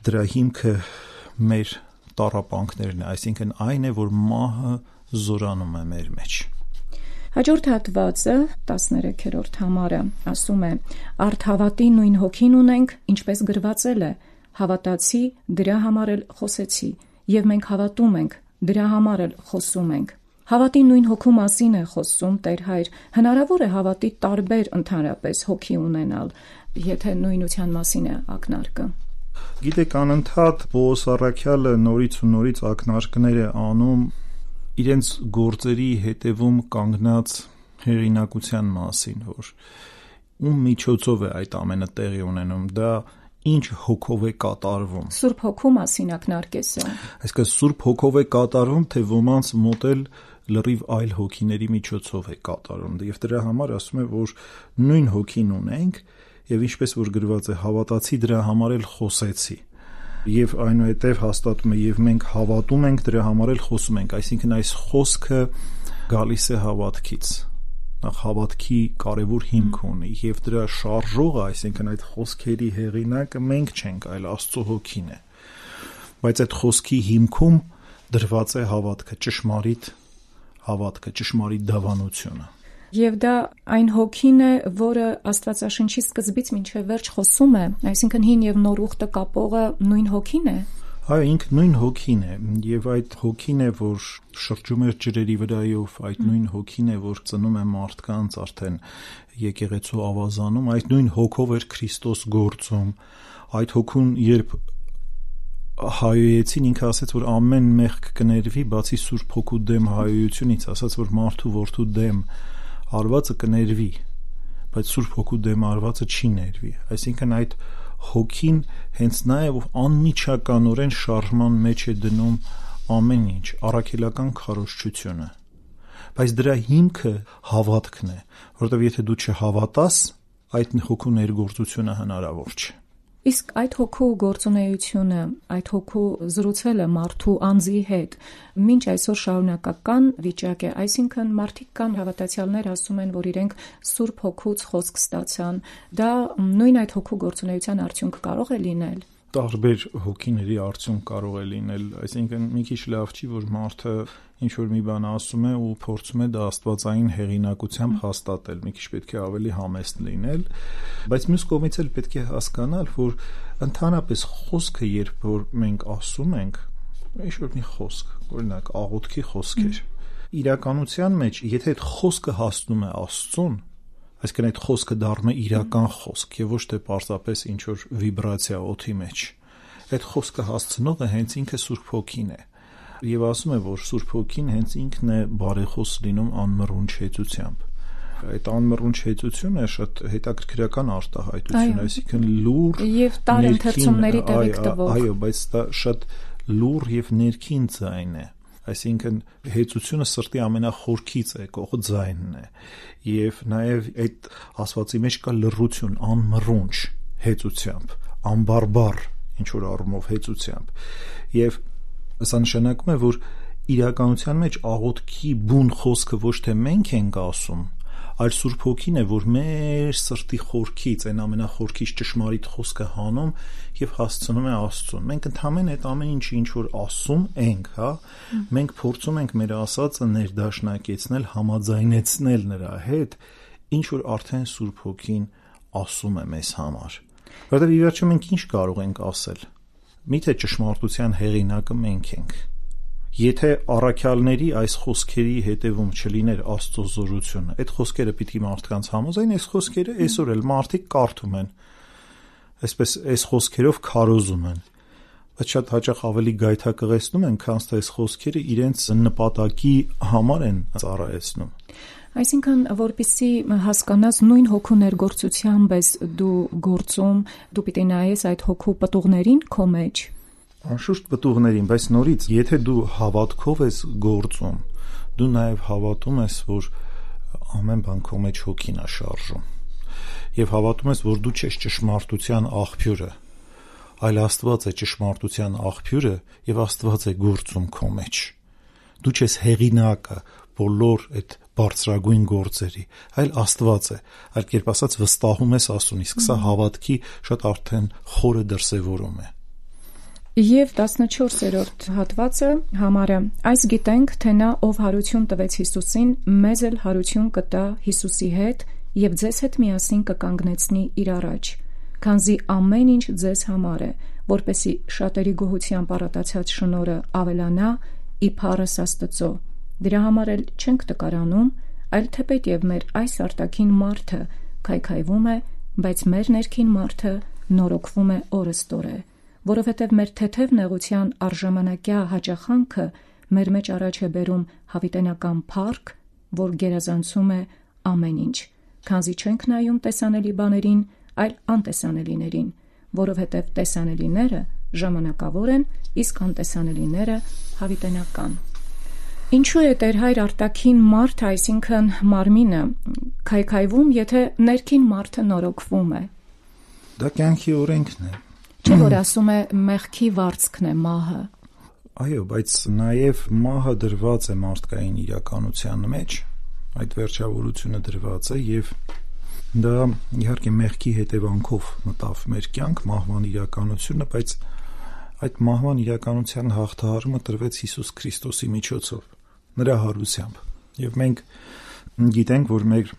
դրա հիմքը մեր տառապանքներն է, այսինքն այն է, որ մահը զորանում է մեր մեջ։ Հաջորդ հատվածը 13-րդ համարը ասում է. «Արդ հավատի նույն հոգին ունենք, ինչպես գրվածել է, հավատացի, դրա համար էլ խոսեցի, եւ մենք հավատում ենք, դրա համար էլ խոսում ենք»։ Հավատի նույն հոգու մասին է խոսում Տեր Հայր։ Հնարավոր է հավատի տարբեր ընդհանրապես հոգի ունենալ, եթե նույնության մասին է ակնարկը։ Գիտեք, անընդհատ Պողոս առաքյալը նորից ու նորից ակնարկներ է անում իրենց գործերի հետևում կանգնած հեղինակության մասին, որ ում միջոցով է այդ ամենը տեղի ունենում, դա ինչ հոգով է կատարվում։ Սուրբ հոգու մասին ակնարկես է։ Այսինքն Սուրբ հոգով է կատարվում, թե ոմանց մոտ էլ լրիվ այլ հոգիների միջոցով է կատարում։ Եվ դրա համար ասում է, որ նույն հոգին ունենք, եւ ինչպես որ գրված է, հավատացի, դրա համար էլ խոսեցի։ Եվ այնուհետև հաստատում է, եւ մենք հավատում ենք, դրա համար էլ խոսում ենք, այսինքն այս խոսքը գալիս է հավատքից, նախ հավատքի կարևոր հիմք ունի, եւ դրա շարժողը, այսինքն այդ խոսքերի հեղինակը մենք չենք, այլ Աստծո հոգին է, բայց այդ խոսքի հիմքում դրված է հավատքը, ճշմարիտ հավատքը, ճշմարիտ դավանությունը։ Եվ դա այն հոգին է, որը Աստվածաշնչի սկզբից մինչև վերջ խոսում է, այսինքն հին եւ նոր ուխտը կապողը նույն հոգին է։ Այո, ինքը նույն հոգին է, եւ այդ հոգին է, որ շրջում է ջրերի վրայով, այդ նույն հոգին է, որ ծնում է մարդկանց արդեն եկեղեցու ավազանում, այդ նույն հոգով էր Քրիստոս գործում։ Այդ հոգուն երբ հայոյեցին, ինքը ասաց, որ ամեն մեղք կներվի, բացի Սուրբ Հոգու դեմ հայոյությունից, ասաց, որ մարդու որդու դեմ արվածը կներվի, բայց Սուրբ Հոգու դեմ արվածը չի ներվի։ Այսինքն այդ հոգին հենց նա է, որ անմիջականորեն շարժման մեջ է դնում ամեն ինչ, առաքելական քարոզչությունը։ Բայց դրա հիմքը հավատքն է, որովհետև եթե դու չհավատաս, այդ հոգու ներգործությունը հնարավոր չէ։ Իսկ այդ հոգու գործունեությունը, այդ հոգու զրուցելը մարդու անձի հետ մինչ այսօր շարունակական վիճակ է, այսինքն մարդիկ կան հավատացյալներ ասում են, որ իրենք Սուրբ Հոգուց խոսք ստացան, դա նույն այդ հոգու գործունեության արդյունք կարող է լինել։ Տարբեր հոգիների արդյունք կարող է լինել, այսինքն մի քիչ լավ չի, որ մարդը ինչ որ մի բան ասում է ու փորձում է դա աստվածային հեղինակությամբ հաստատել, մի քիչ պետք է ավելի համեստ լինել, բայց մյուս կողմից էլ պետք է հասկանալ, որ ընդհանրապես խոսքը, երբ որ մենք ասում ենք, ինչ որ մի խոսք, օրինակ աղոթքի խոսքեր, իրականության մեջ, եթե այդ խոսքը հասնում է Աստծուն, այսինքն այդ խոսքը դառնում է իրական խոսք եւ ոչ թե պարզապես ինչ որ վիբրացիա օդի մեջ, այդ խոսքը հասցնողը հենց ինքը Սուրբ Հոգին է։ Եվ ասում է, որ Սուրբ Հոգին հենց ինքն է բարեխոս լինում անմռունչ հեծությամբ։ Այդ անմռունչ հեծությունը շատ հետաքրքրական արտահայտություն է, այսինքն լուր եւ տարընթերցումների տեղիք տվող։ Այո, բայց դա շատ լուր եւ ներքին ձայն է։ Այսինքն հեծությունը սրտի ամենախորքից է, կողը ձայնն է, եւ նաեւ այդ ասվածի մեջ կա լռություն, անմռունչ հեծությամբ, անբարբար ինչ որ առումով հեծությամբ, եւ սա նշանակում է, որ իրականության մեջ աղոթքի բուն խոսքը ոչ թե մենք ենք ասում, այլ Սուրբ Հոգին է, որ մեր սրտի խորքից, այն ամենախորքից ճշմարիտ խոսքը հանում եւ հասցնում է Աստծուն։ Մենք ընդհանրապես այդ ամեն ինչը ինչ որ ասում ենք, հա, մենք փորձում ենք մեր ասածը ներդաշնակեցնել, համաձայնեցնել նրա հետ, ինչ որ արդեն Սուրբ Հոգին ասում է մեզ համար։ Որտեղ ի վերջո մենք ինչ կարող ենք ասել։ Միթե ճշմարտության հեղինակը մենք ենք։ Եթե առաքյալների այս խոսքերի հետևում չլիներ Աստծո զորությունը, այդ խոսքերը պիտի մարդկանց համոզեն, այս խոսքերը այսօր էլ մարդիկ կարդում են, այսպես այս խոսքերով քարոզում են, բայց շատ հաճախ ավելի գայթակղեցնում են, քան թե այս խոսքերը իրենց նպատակի համար են ծառայեցնում։ Այսինքն, որպեսզի հասկանաս նույն հոգու ներգործությամբ ես դու գործում, դու պիտի նայես այդ հոգու պտուղներին քո մեջ։ Անշուշտ պտուղներին, բայց նորից, եթե դու հավատքով ես գործում, դու նաև հավատում ես, որ ամեն բան քո մեջ հոգին է շարժում, եւ հավատում ես, որ դու չես ճշմարտության աղբյուրը, այլ Աստված է ճշմարտության աղբյուրը, եւ Աստված է գործում քո մեջ։ Դու չես հեղինակը բոլոր այդ բարձրագույն գործերի, այլ Աստված է, այլ կերպ ասած վստահում ես Աստծուն, իսկ սա հավատքի շատ արդեն խորը դրսևորում է։ Եվ 14-րդ հատվածը համարը. այս գիտենք, թե նա, ով հարություն տվեց Հիսուսին, մեզ էլ հարություն կտա Հիսուսի հետ եւ ձեզ հետ միասին կկանգնեցնի իր առաջ, քանզի ամեն ինչ ձեզ համար է, որպեսի շատերի գոհությամբ առատացած շնորհը ավելանա ի փառս Աստծո։ Դրա համար էլ չենք տկարանում, այլ թեպետև մեր այս արտաքին մարդը քայքայվում է, բայց մեր ներքին մարդը նորոգվում է օրըստօրե, որովհետև մեր թեթև նեղության արժանանակյա հաճախանքը մեր մեջ առաջ է բերում հավիտենական փառք, որ գերազանցում է ամեն ինչ, քանզի չենք նայում տեսանելի բաներին, այլ անտեսանելիներին, որովհետև տեսանելիները ժամանակավոր են, իսկ անտեսանելիները հավիտենական։ Ինչու է Տեր Հայր արտաքին մարդը, այսինքն մարմինը, քայքայվում, եթե ներքին մարդը նորոգվում է։ Դա կյանքի օրենքն է։ Չէ՞ որ ասում է մեղքի վարձքն է մահը։ Այո, բայց նաև մահը դրված է մարդկային իրականության մեջ, այդ վերջավորությունը դրված է եւ դա իհարկե մեղքի հետևանքով մտավ մեր կյանք, մահվան իրականությունը, բայց այդ մահվան իրականության հաղթահարումը տրվեց Հիսուս Քրիստոսի միջոցով, նրա հարությամբ։ Եվ մենք գիտենք, որ մեր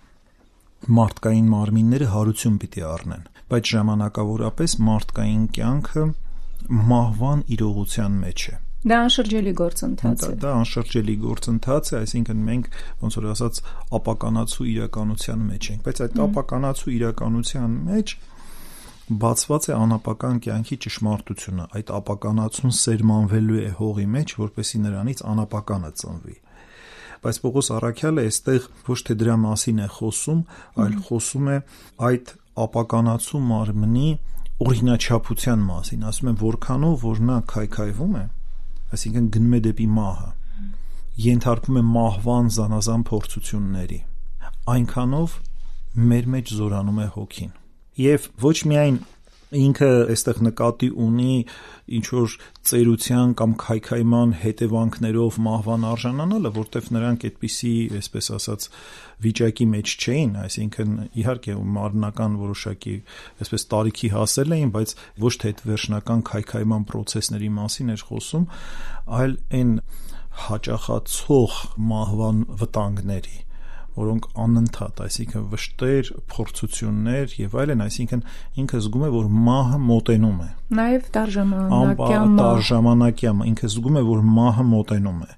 մարդկային մարմինները հարություն պիտի առնեն, բայց ժամանակավորապես մարդկային կյանքը մահվան իրողության մեջ է։ Դա անշրջելի գործընթաց է։ Դա անշրջելի գործընթաց է, այսինքն մենք ոնց որ ասած ապականացու իրականության մեջ ենք, բայց այդ ապականացու իրականության մեջ բացված է անապական կյանքի ճշմարտությունը։ Այդ ապականացուն սերմանվելու է հողի մեջ, որպեսզի նրանից անապականը ծնվի։ Բայց Պողոս առաքյալը այստեղ ոչ թե դրա մասին է խոսում, այլ խոսում է այդ ապականացու մարմնի օրինաչափության մասին, ասում է որքանով որ նա քայքայվում է, այսինքն գնում է դեպի մահը, ենթարկվում է մահվան զանազան փորձությունների, այնքանով մեր մեջ զորանում է հոգին։ Եվ ոչ միայն ինքը այստեղ նկատի ունի ինչ որ ծերության կամ քայքայման հետևանքներով մահվան արժանանալը, որտեղ նրանք այդպիսի, այսպես ասած, վիճակի մեջ չէին, այսինքն իհարկե մարմնական որոշակի այսպես տարիքի հասել էին, բայց ոչ թե այդ վերջնական քայքայման process-ների մասին էր խոսում, այլ այն հաճախացող մահվան վտանգների, որոնք անընդհատ, այսինքն վշտեր, փորձություններ եւ այլն, այսինքն ինքը զգում է, որ մահը մոտենում է։ Նաեւ տարժամանակյա, ինքը զգում է, որ մահը մոտենում է։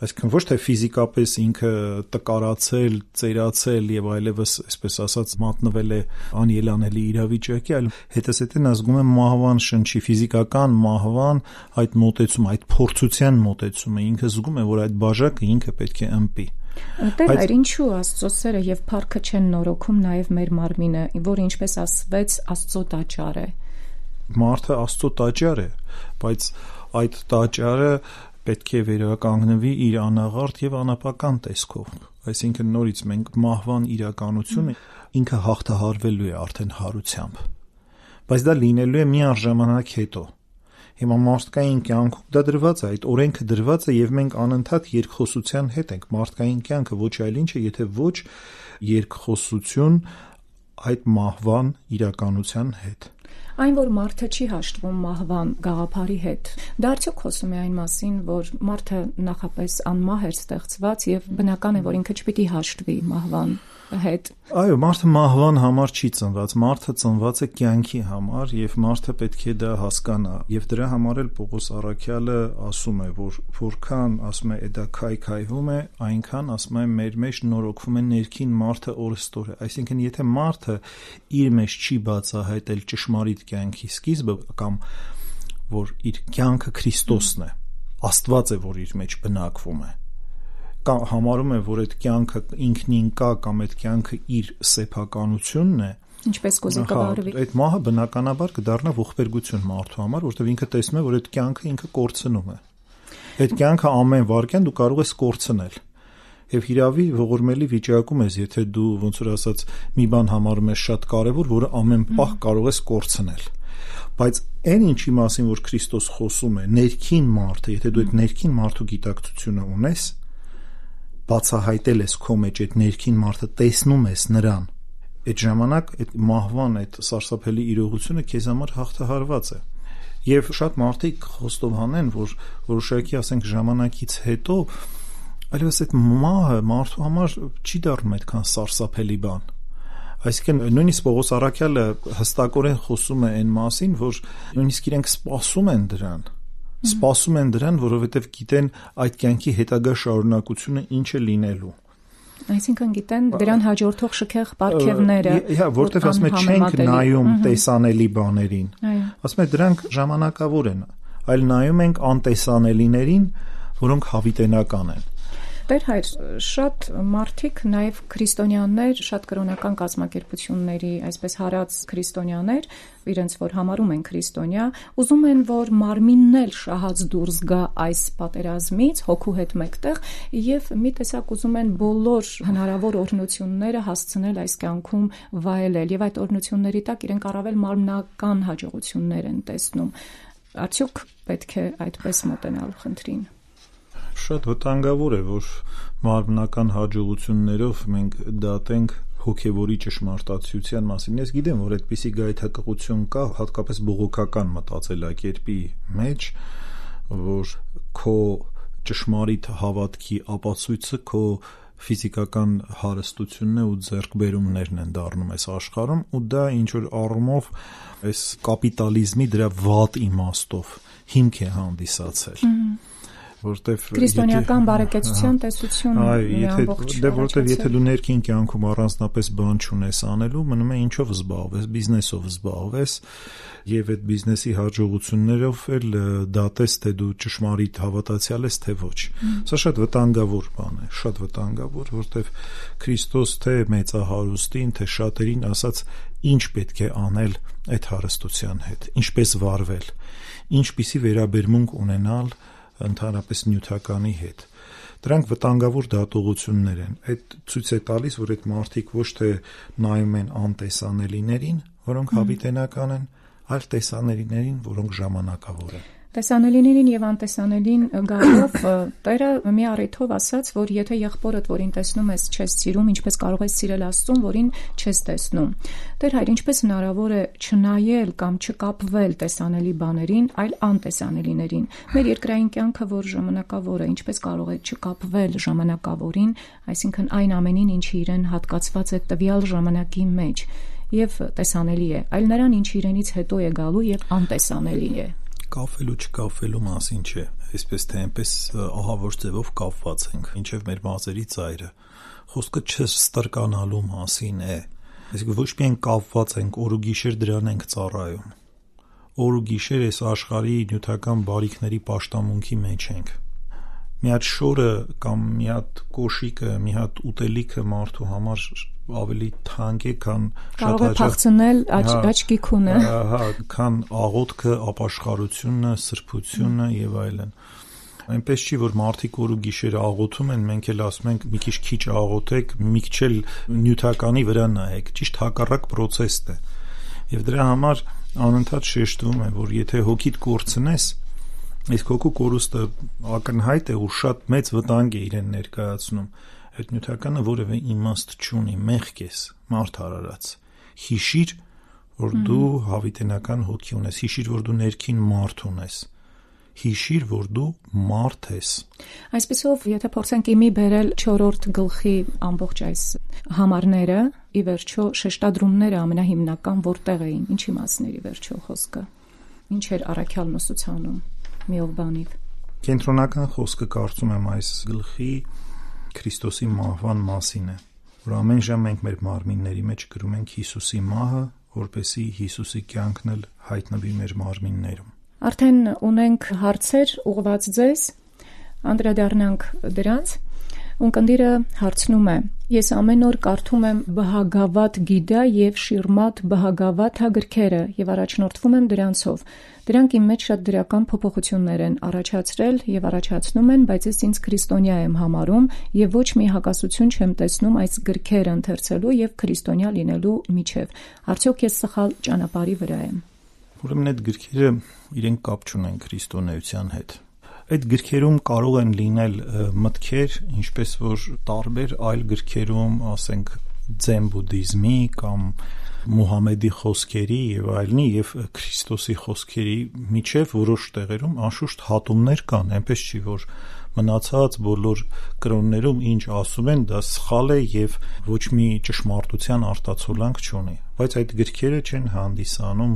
Այսինքն ոչ թե ֆիզիկապես ինքը տկարացել, ծերացել եւ այլևս, այսպես ասած, մատնվել է անելանելի իրավիճակի, այլ հետզհետե նա զգում է մահվան շնչի, ֆիզիկական մահվան այդ մոտեցումը, այդ փորձության մոտեցումը, ինքը զգում է, որ այդ բաժակը ինքը պետք է ըմպի։ Տեր, ինչու Աստծո սերը եւ փառքը չեն նորոգում նաեւ մեր մարմինը, որը ինչպես ասվեց Աստծո տաճար է։ Մարդը Աստծո տաճար է, բայց այդ տաճարը պետք է վերականգնվի իր անաղարտ եւ անապական տեսքով։ Այսինքն նորից մենք մահվան իրականությունը ինքը հաղթահարվելու է արդեն հարությամբ։ Բայց դա լինելու է միառժամանակ հետո։ Հիմա մարդկային կյանքում դա դրված է, այդ օրենքը դրված է եւ մենք անընդհատ երկխոսության հետ ենք։ Մարդկային կյանքը ոչ այլ ինչ է, եթե ոչ երկխոսություն այդ մահվան իրականության հետ։ Այն, որ մարդը չի հաշտվում մահվան գաղափարի հետ, դա արդյոք խոսում է այն մասին, որ մարդը նախապես անմահ էր ստեղծված եւ բնական է, որ ինքը չպիտի հաշտվի մահվան հետ։ Այո, մարդը մահվան համար չի ծնված, մարդը ծնված է կյանքի համար եւ մարդը պետք է դա հասկանա։ Եվ դրա համար էլ Պողոս առաքյալը ասում է, որ որքան ասում է դա քայքայվում է, այնքան ասում է մեր մեջ նորոգվում է ներքին մարդը օրստորը։ Այսինքն, եթե մարդը իր մեջ չի բացահայտել ճշմարիտ կյանքի սկիզբը կամ որ իր կյանքը Քրիստոսն է, Աստված է, որ իր մեջ բնակվում է, կամ համարում է, որ այդ կյանքը ինքնին կա կամ այդ կյանքը իր սեփականությունն է, ինչպես կոզի կվարվի։ Այդ մահը բնականաբար կդառնա ողբերգություն մարդու համար, որտեղ ինքը տեսնում է, որ այդ կյանքը ինքը կորցնում է։ Այդ կյանքը ամեն վարքյան դու կարող ես կորցնել։ Եվ հիրավի ողորմելի վիճակում ես, եթե դու ոնց որ ասած մի բան համարում ես շատ կարևոր, որը ամեն պահ կարող ես կորցնել։ Բայց այն ինչի մասին, որ Քրիստոս խոսում է, ներքին մարդը, եթե դու այդ ներքին մարդու գիտակցությունը ունես, բացահայտել ես քո մեջ այդ ներքին մարդը, տեսնում ես նրան, այդ ժամանակ այդ մահվան այդ սարսափելի իրողությունը քեզ համար հաղթահարված է։ Եվ շատ մարդիկ խոստով հանեն, որ որոշակի ասենք ժամանակից հետո այլևս այդ մահը մարդու համար չի դառնում այդքան սարսափելի բան։ Այսինքն նույնիսկ Պողոս առաքյալը հստակորեն խոսում է այն մասին, որ նույնիսկ իրենք սպասում են դրան, որովհետև գիտեն այդ կյանքի հետագա շարունակությունը ինչ է լինելու։ Այսինքն գիտեն դրան հաջորդող շքեղ պարգևները, որտեղ ասում է չենք նայում տեսանելի բաներին։ Ասում է դրանք ժամանակավոր են, այլ նայում ենք անտեսանելիներին, որոնք հավիտենական են։ Տեր հայր, շատ մարդիկ, նաև քրիստոնյաներ, շատ կրոնական կազմակերպությունների, այսպես հարած քրիստոնյաներ, իրենց որ համարում են քրիստոնյա, ուզում են, որ մարմինն էլ շահած դուրս գա այս պատերազմից, հոգու հետ մեկտեղ, եւ մի տեսակ ուզում են բոլոր հնարավոր օրհնությունները հասցնել այս կյանքում վայելել, եւ այդ օրհնությունների տակ իրենք առավել մարմնական հաջողություններ են տեսնում։ Արդյոք պետք է այդպես մոտենալ խնդրին։ Շատ վտանգավոր է, որ մարմնական հաջողություններով մենք դատենք հոգևորի ճշմարտացիության մասին։ Ես գիտեմ, որ այդպիսի գայթակղություն կա, հատկապես բողոքական մտածելակերպի մեջ, որ քո ճշմարիտ հավատքի ապացույցը քո ֆիզիկական հարստությունն է ու ձեռքբերումներն են դառնում այս աշխարհում, ու դա ինչ որ առումով այս կապիտալիզմի դրա վատ իմաստով հիմք է հանդիսացել։ Որտեվ քրիստոնեական բարեկեցության տեսությունը որտեվ եթե դու ներքին կյանքում առանձնապես բան չունես անելու, մնում է ինչով զբաղվես, բիզնեսով զբաղվես, եւ այդ բիզնեսի հաջողություններով էլ դատես, թե դու ճշմարիտ հավատացյալ ես, թե ոչ։ Սա շատ վտանգավոր բան է, շատ վտանգավոր, որտեվ Քրիստոս թե մեծահարուստին, թե շատերին ասաց ինչ պետք է անել այդ հարստության հետ, ինչպես վարվել, ինչպիսի վերաբերմունք ունենալ ընդհանրապես նյութականի հետ։ Դրանք վտանգավոր դատողություններ են։ Այդ ցույց է տալիս, որ այդ մարդիկ ոչ թե նայում են անտեսանելիներին, որոնք հավիտենական են, այլ տեսանելիներին, որոնք ժամանակավոր են։ Տեսանելիներին եւ անտեսանելին գալով Տերը մի առիթով ասաց, որ եթե եղբորդ, որին տեսնում ես, չես սիրում, ինչպես կարող ես սիրել Աստծուն, որին չես տեսնում։ Տեր հայր, ինչպես հնարավոր է չնայել կամ չկապվել տեսանելի բաներին, այլ անտեսանելիներին։ Մեր երկրային կյանքը, որ ժամանակավոր է, ինչպես կարող է չկապվել ժամանակավորին, այսինքն այն ամենին, ինչի իրեն հատկացված է տվյալ ժամանակի մեջ, եւ տեսանելի է, այլ նրան, ինչ իրենից հետո է գալու եւ անտեսանելի է։ Կապվելու չկապվելու մասին չէ, այսպես թե այնպես ահավոր ձևով կապված ենք, ինչև մեր մազերի ծայրը։ Խոսքը չստրկանալու մասին է։ Այսինքն ոչ միայն կապված ենք, օր ու գիշեր դրան ենք ծառայում։ Օր ու գիշեր այս աշխարհի նյութական բարիքների պաշտամունքի մեջ ենք։ Մի հատ շորը կամ մի հատ կոշիկը, մի հատ ուտելիքը մարդու համար ավելի թանկ է, քան կարող է փախցնել աչքի քունը, քան աղոթքը, ապաշխարությունը, սրբությունը եւ այլն։ Այնպես չի, որ մարդիկ օր ու գիշեր աղոթում են, մենք էլ ասում ենք մի քիչ աղոթեք, մի քիչ էլ նյութականի վրա նայեք, ճիշտ հակառակ process-ն է։ Եվ դրա համար անընդհատ շեշտվում է, որ եթե հոգիդ կորցնես, իսկ հոգու կորուստը ակնհայտ է ու շատ մեծ վտանգ է իրեն ներկայացնում։ Այդ նյութականը որևէ իմաստ չունի, մեղք ես, մարդ արարած։ Հիշիր, որ դու հավիտենական հոգի ունես, հիշիր, որ դու ներքին մարդ ունես, հիշիր, որ դու մարդ ես։ Այսպեսով, եթե փորձենք իմի բերել 4-րդ գլխի ամբողջ այս համարները, ի վերջո շեշտադրումները ամենահիմնական որտեղ էին, ինչի մասների վերջո խոսքը, ինչ էր առաքյալն ուսուցանում, միով բանիվ։ Կենտրոնական խոսքը կարծում եմ այս գլխի Քրիստոսի մահվան մասին է, որ ամեն ժամ մենք մեր մարմինների մեջ գրում ենք Հիսուսի մահը, որպեսզի Հիսուսի կյանքն էլ հայտնվի մեր մարմիններում։ Արդեն ունենք հարցեր ուղղված ձեզ, անդրադառնանք դրանց։ Ունկնդիրը հարցնում է. Ես ամեն օր կարդում եմ Բհագավատ Գիտա եւ Շիրմաթ Բհագավաթա գրքերը եւ առաջնորդվում եմ դրանցով։ Դրանք իմ մեջ շատ դրական փոփոխություններ են առաջացրել եւ առաջացնում են, բայց ես ինձ քրիստոնյա եմ համարում եւ ոչ մի հակասություն չեմ տեսնում այս գրքերը ընթերցելու եւ քրիստոնյա լինելու միջեւ։ Արդյոք ես սխալ ճանապարհի վրա եմ։ Ուրեմն այդ գրքերը իրենք կապ չունեն քրիստոնեության հետ։ Այդ գրքերում կարող են լինել մտքեր, ինչպես որ տարբեր այլ գրքերում, ասենք ձեն բուդդիզմի կամ Մուհամեդի խոսքերի եւ այլնի եւ Քրիստոսի խոսքերի միջև որոշ տեղերում անշուշտ հատումներ կան, այնպես չի որ մնացած բոլոր կրոններում ինչ ասում են, դա սխալ է եւ ոչ մի ճշմարտության արտացոլանք չունի, բայց այդ գրքերը չեն հանդիսանում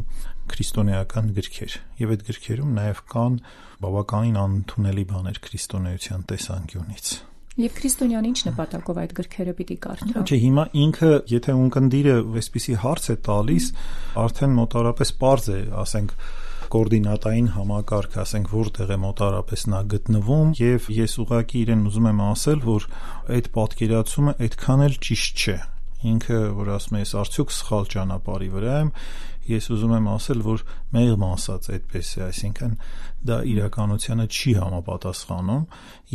քրիստոնեական գրքեր եւ այդ գրքերում նաեւ կան բավականին անընդունելի բաներ քրիստոնեության տեսանկյունից։ Եվ քրիստոնյան ինչ նպատակով այդ գրքերը պիտի կարդա։ Չէ, հիմա ինքը, եթե ունկնդիրը այսպիսի հարց է տալիս, արդեն մոտարապես պարզ է, ասենք կոորդինատային համակարգ, ասենք որտեղ է մոտարապես նա գտնվում, եւ ես ուղղակի իրեն ուզում եմ ասել, որ այդ պատկերացումը այդքան էլ ճիշտ չէ։ Ինքը, որ ասում է, ես արդյոք սխալ ճանապարհի վրա եմ, ես ուզում եմ ասել, որ մեղմ ասած այդպես է, այսինքն դա իրականությանը չի համապատասխանում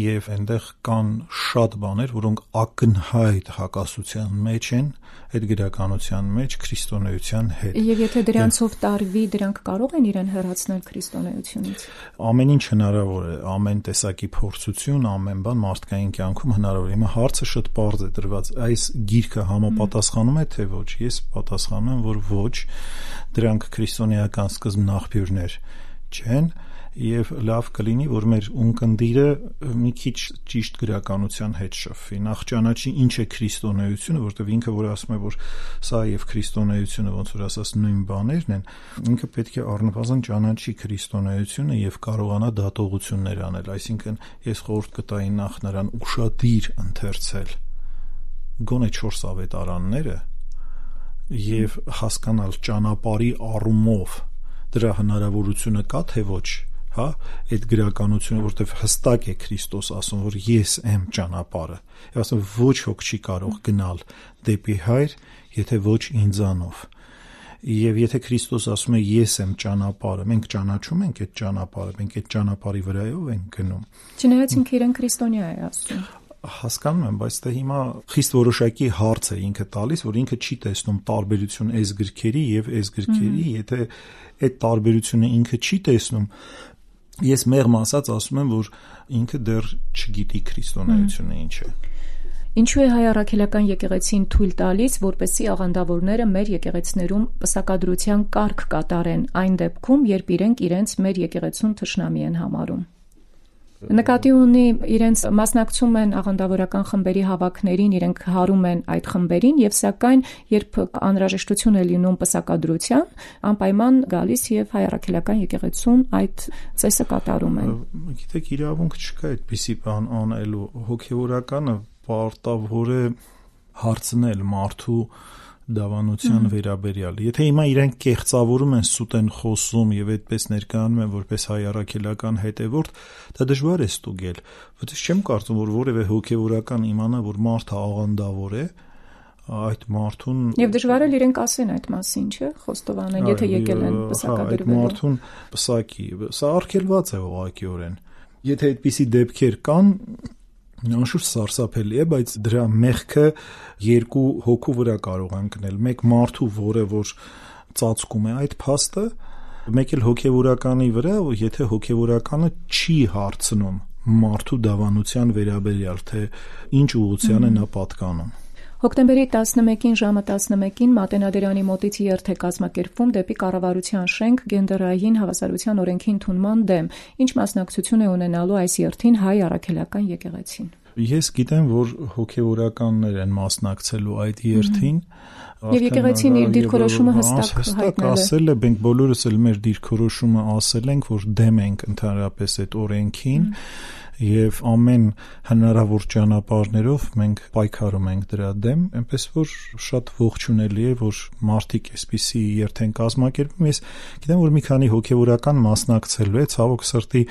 եւ այնտեղ կան շատ բաներ, որոնք ակնհայտ հակասության մեջ են այդ գրականության մեջ քրիստոնեության հետ։ Եվ եթե դրանցով տարվի, դրանք կարող են իրեն հեռացնել քրիստոնեությունից։ Ամեն ինչ հնարավոր է, ամեն տեսակի փորձություն, ամեն բան մարդկային կյանքում հնարավոր է։ Հիմա հարցը շատ պարզ է դրված, այս գիրքը համապատասխանում է թե ոչ։ Ես պատասխանում եմ, որ ոչ, դրանք քրիստոնեական սկզբնաղբյուրներ չեն եւ լավ կլինի, որ մեր ունկնդիրը մի քիչ ճիշտ գրականության հետ շփվի։ Նախ ճանաչի ինչ է քրիստոնեությունը, որտեղ ինքը որ ասում է, որ սա եւ քրիստոնեությունը ոնց որ ասած նույն բաներն են, ինքը պետք է առնվազն ճանաչի քրիստոնեությունը եւ կարողանա դատողություններ անել։ Այսինքն ես խորհուրդ կտայի նախ նրան ուշադիր ընթերցել գոնե 4 ավետարանները եւ հասկանալ ճանապարհի առումով դրա հնարավորությունը կա թե ոչ, հա, այդ գրականությունը, որտեղ հստակ է Քրիստոս ասում, որ ես եմ ճանապարհը։ Եվ ասում ոչ ոք չի կարող գնալ դեպի Հայր, եթե ոչ ինձանով։ Եվ եթե Քրիստոս ասում է ես եմ ճանապարհը, մենք ճանաչում ենք այդ ճանապարհը, մենք այդ ճանապարհի վրայով ենք գնում։ Չնայած ինքը իրեն քրիստոնյա է ասում։ Հասկանում եմ, բայց դա հիմա խիստ որոշակի հարց է ինքը տալիս, որ ինքը չի տեսնում տարբերություն այս գրքերի եւ այս գրքերի, եթե այդ տարբերությունը ինքը չի տեսնում, ես մեղմ ասած ասում եմ, որ ինքը դեռ չգիտի քրիստոնեությունը ինչ է։ Ինչու է հայ առաքելական եկեղեցին թույլ տալիս, որպեսզի աղանդավորները մեր եկեղեցիներում պսակադրության կարգ կատարեն այն դեպքում, երբ իրենց մեր եկեղեցուն թշնամի են համարում։ Նկատի ունի իրենց մասնակցում են աղանդավորական խմբերի հավաքներին, իրենք հարում են այդ խմբերին եւ սակայն երբ անհրաժեշտություն է լինում պսակադրության, անպայման գալիս եւ հայ առաքելական եկեղեցուն այդ ծեսը կատարում են։ Գիտեք, իրավունք չկա այդպիսի բան անելու, հոգեվորականը պարտավոր է հարցնել մարդու դավանության վերաբերյալ։ Եթե հիմա իրենք կեղծավորում են, սուտ են խոսում եւ այդպես ներկայանում են որպես հայ առաքելական հետևորդ, դա դժվար է ստուգել։ Որտեղ չեմ կարծում, որ որևէ հոգեվորական իմանա, որ մարդը աղանդավոր է, այդ մարդուն եւ դժվար է իրենք ասեն այդ մասին, չէ՞, խոստովանեն, եթե եկել են պսակադրվելու։ Այդ մարդուն պսակի, սա արգելված է ուղղակիորեն։ Եթե այդպիսի դեպքեր կան, անշուշտ սարսափելի է, բայց դրա մեղքը երկու հոգու վրա կարող է ընկնել։ Մեկ մարդու, որը որ ծածկում է այդ փաստը, մեկ էլ հոգևորականի վրա, եթե հոգևորականը չի հարցնում մարդու դավանության վերաբերյալ, թե ինչ ուղղության է նա պատկանում։ Հոկտեմբերի 11-ին ժամը 11-ին Մատենադարանի մոտից երթ է կազմակերպվում դեպի Կառավարության շենք գենդերային հավասարության օրենքի ընդունման դեմ, ինչ մասնակցություն է ունենալու այս երթին հայ առաքելական եկեղեցին։ Ես գիտեմ, որ հոգևորականներ են մասնակցելու այդ երթին։ Եվ եկեղեցին իր դիրքորոշումը հստակ ասել է, մենք բոլորս էլ մեր դիրքորոշումը ասել ենք, որ դեմ ենք ընդհանրապես այդ օրենքին եւ ամեն հնարավոր ճանապարհներով մենք պայքարում ենք դրա դեմ, այնպես որ շատ ողջունելի է, որ մարդիկ այսպիսի երթ են կազմակերպում։ Ես գիտեմ, որ մի քանի հոգևորական մասնակցելու է, ցավոք սրտի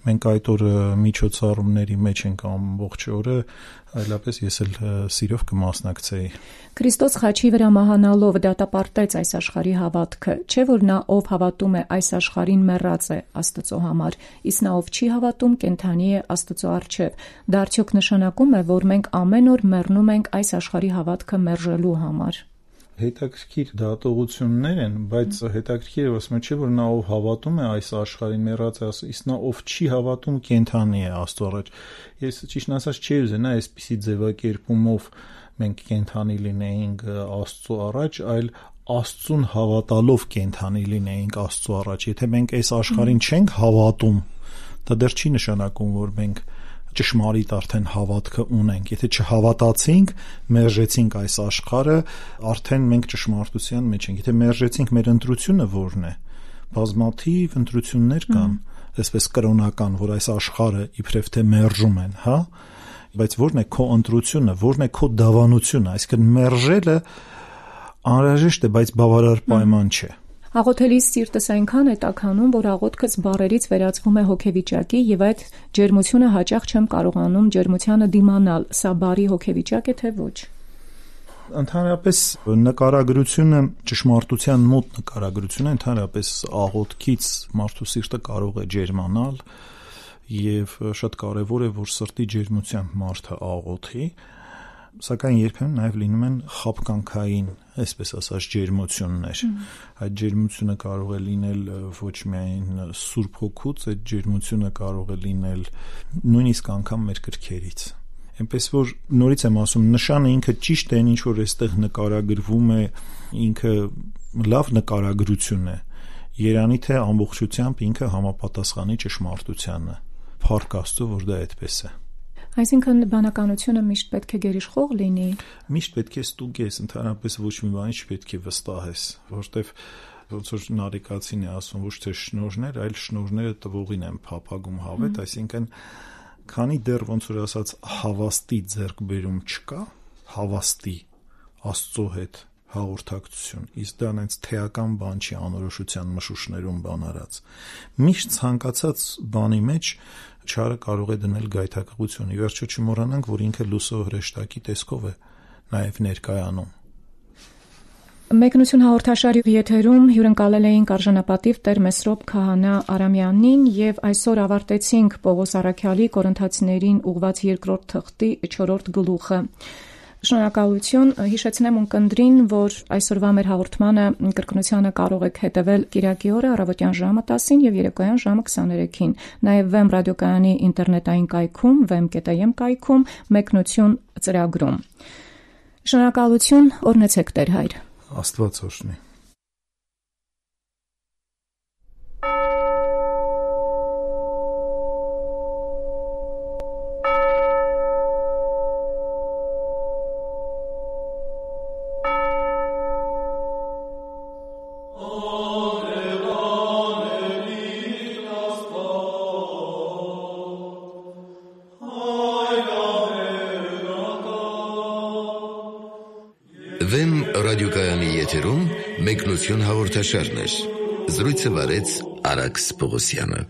մենք այդ օրը միջոցառումների մեջ ենք ամբողջ օրը, այլապես ես էլ սիրով կմասնակցեի։ Քրիստոս խաչի վրա մահանալով դատապարտեց այս աշխարհի հավատքը, չէ՞ որ նա ով հավատում է այս աշխարհին մեռած է Աստծո համար, իսկ նա ով չի հավատում կենդանի է Աստծո առջև։ Դա արդյոք նշանակում է, որ մենք ամեն օր մեռնում ենք այս աշխարհի հավատքը մերժելու համար։ Հետաքրքիր դատողություններ են, բայց հետաքրքիրը ասում է, չէ՞ որ նա ով հավատում է այս աշխարհին մեռած է, իսկ նա ով չի հավատում կենդանի է Աստծո առաջ։ Ես ճիշտ ասած չի ուզենա այսպիսի ձևակերպումով մենք կենդանի լինեինք Աստծո առաջ, այլ Աստծուն հավատալով կենդանի լինեինք Աստծո առաջ։ Եթե մենք այս աշխարհին չենք հավատում, դա դեռ չի նշանակում, որ մենք ճշմարիտ արդեն հավատքը ունենք։ Եթե չհավատացինք, մերժեցինք այս աշխարհը, արդեն մենք ճշմարտության մեջ ենք։ Եթե մերժեցինք, մեր ընտրությունը ո՞րն է։ Բազմաթիվ ընտրություններ կան, այսպես կրոնական, որ այս աշխարհը իբրև թե մերժում են, հա, բայց ո՞րն է քո ընտրությունը, ո՞րն է քո դավանությունը, այսինքն մերժելը անհրաժեշտ է, բայց բավարար պայման չէ։ Աղոթելիս սիրտս այնքան է տաքանում, որ աղոթքս բառերից վերածվում է հոգեվիճակի եւ այդ ջերմությունը հաճախ չեմ կարողանում ջերմությանը դիմանալ։ Սա բարի հոգեվիճակ է թե ոչ։ Ընդհանրապես նկարագրությունը ճշմարտության մոտ նկարագրությունը ընդհանրապես աղոթքից մարդու սիրտը կարող է ջերմանալ եւ շատ կարեւոր է, որ սրտի ջերմությամբ մարդը աղոթի, սակայն երբեմն նաև լինում են խաբկանքային, այսպես ասած, ջերմություններ։ Այդ ջերմությունը կարող է լինել ոչ միայն Սուրբ Հոգուց, այդ ջերմությունը կարող է լինել նույնիսկ անգամ մեր կրքերից։ Այնպես որ նորից եմ ասում, նշանը ինքը ճիշտ է, ինչ որ այստեղ նկարագրվում է, ինքը լավ նկարագրություն է։ Երանի թե ամբողջությամբ ինքը համապատասխանի ճշմարտությանը։ Փառք Աստծո, որ դա այդպես է։ Այսինքն բանականությունը միշտ պետք է գերիշխող լինի։ Միշտ պետք է ստուգես, ընդհանրապես ոչ մի բանի չպետք է վստահես, որովհետև ոնց որ Նարեկացին է ասում, ոչ թե շնորհներ, այլ շնորհները տվողին են փափագում հավետ, այսինքն քանի դեռ ոնց որ ասած հավաստի ձեռքբերում չկա, հավաստի Աստծո հետ հաղորդակցություն, իսկ դա այնց թեական բան չի անորոշության մշուշներում բան արած։ Միշտ ցանկացած բանի մեջ չարը կարող է դնել գայթակղություն։ Ի վերջո չմոռանանք, որ ինքը լուսո հրեշտակի տեսքով է նաև ներկայանում։ Մեկնություն հաղորդաշարի եթերում հյուրընկալել էինք արժանապատիվ Տեր Մեսրոպ Քահանա Արամյանին եւ այսօր ավարտեցինք Պողոս Առաքյալի Կորինթացիներին ուղված 2-րդ թղթի 4-րդ գլուխը։ Շնորհակալություն, հիշեցնեմ ունկնդրին, որ այսօրվա մեր հաղորդմանը կրկնությանը կարող եք հետևել Կիրակի օրը առավոտյան ժամը 10-ին եւ երեկոյան ժամը 23-ին։ Նաեւ Վեմ ռադիոկայանի ինտերնետային կայքում, vem.am կայքում, մեկնություն ծրագրում։ Շնորհակալություն, օրհնեցեք Տեր Հայր։ Աստված օրհնի։ Վեմ ռադիոկայանի եթերում մեկնություն հաղորդաշարներ։ Զրույցը վարեց Արաքս Պողոսյանը։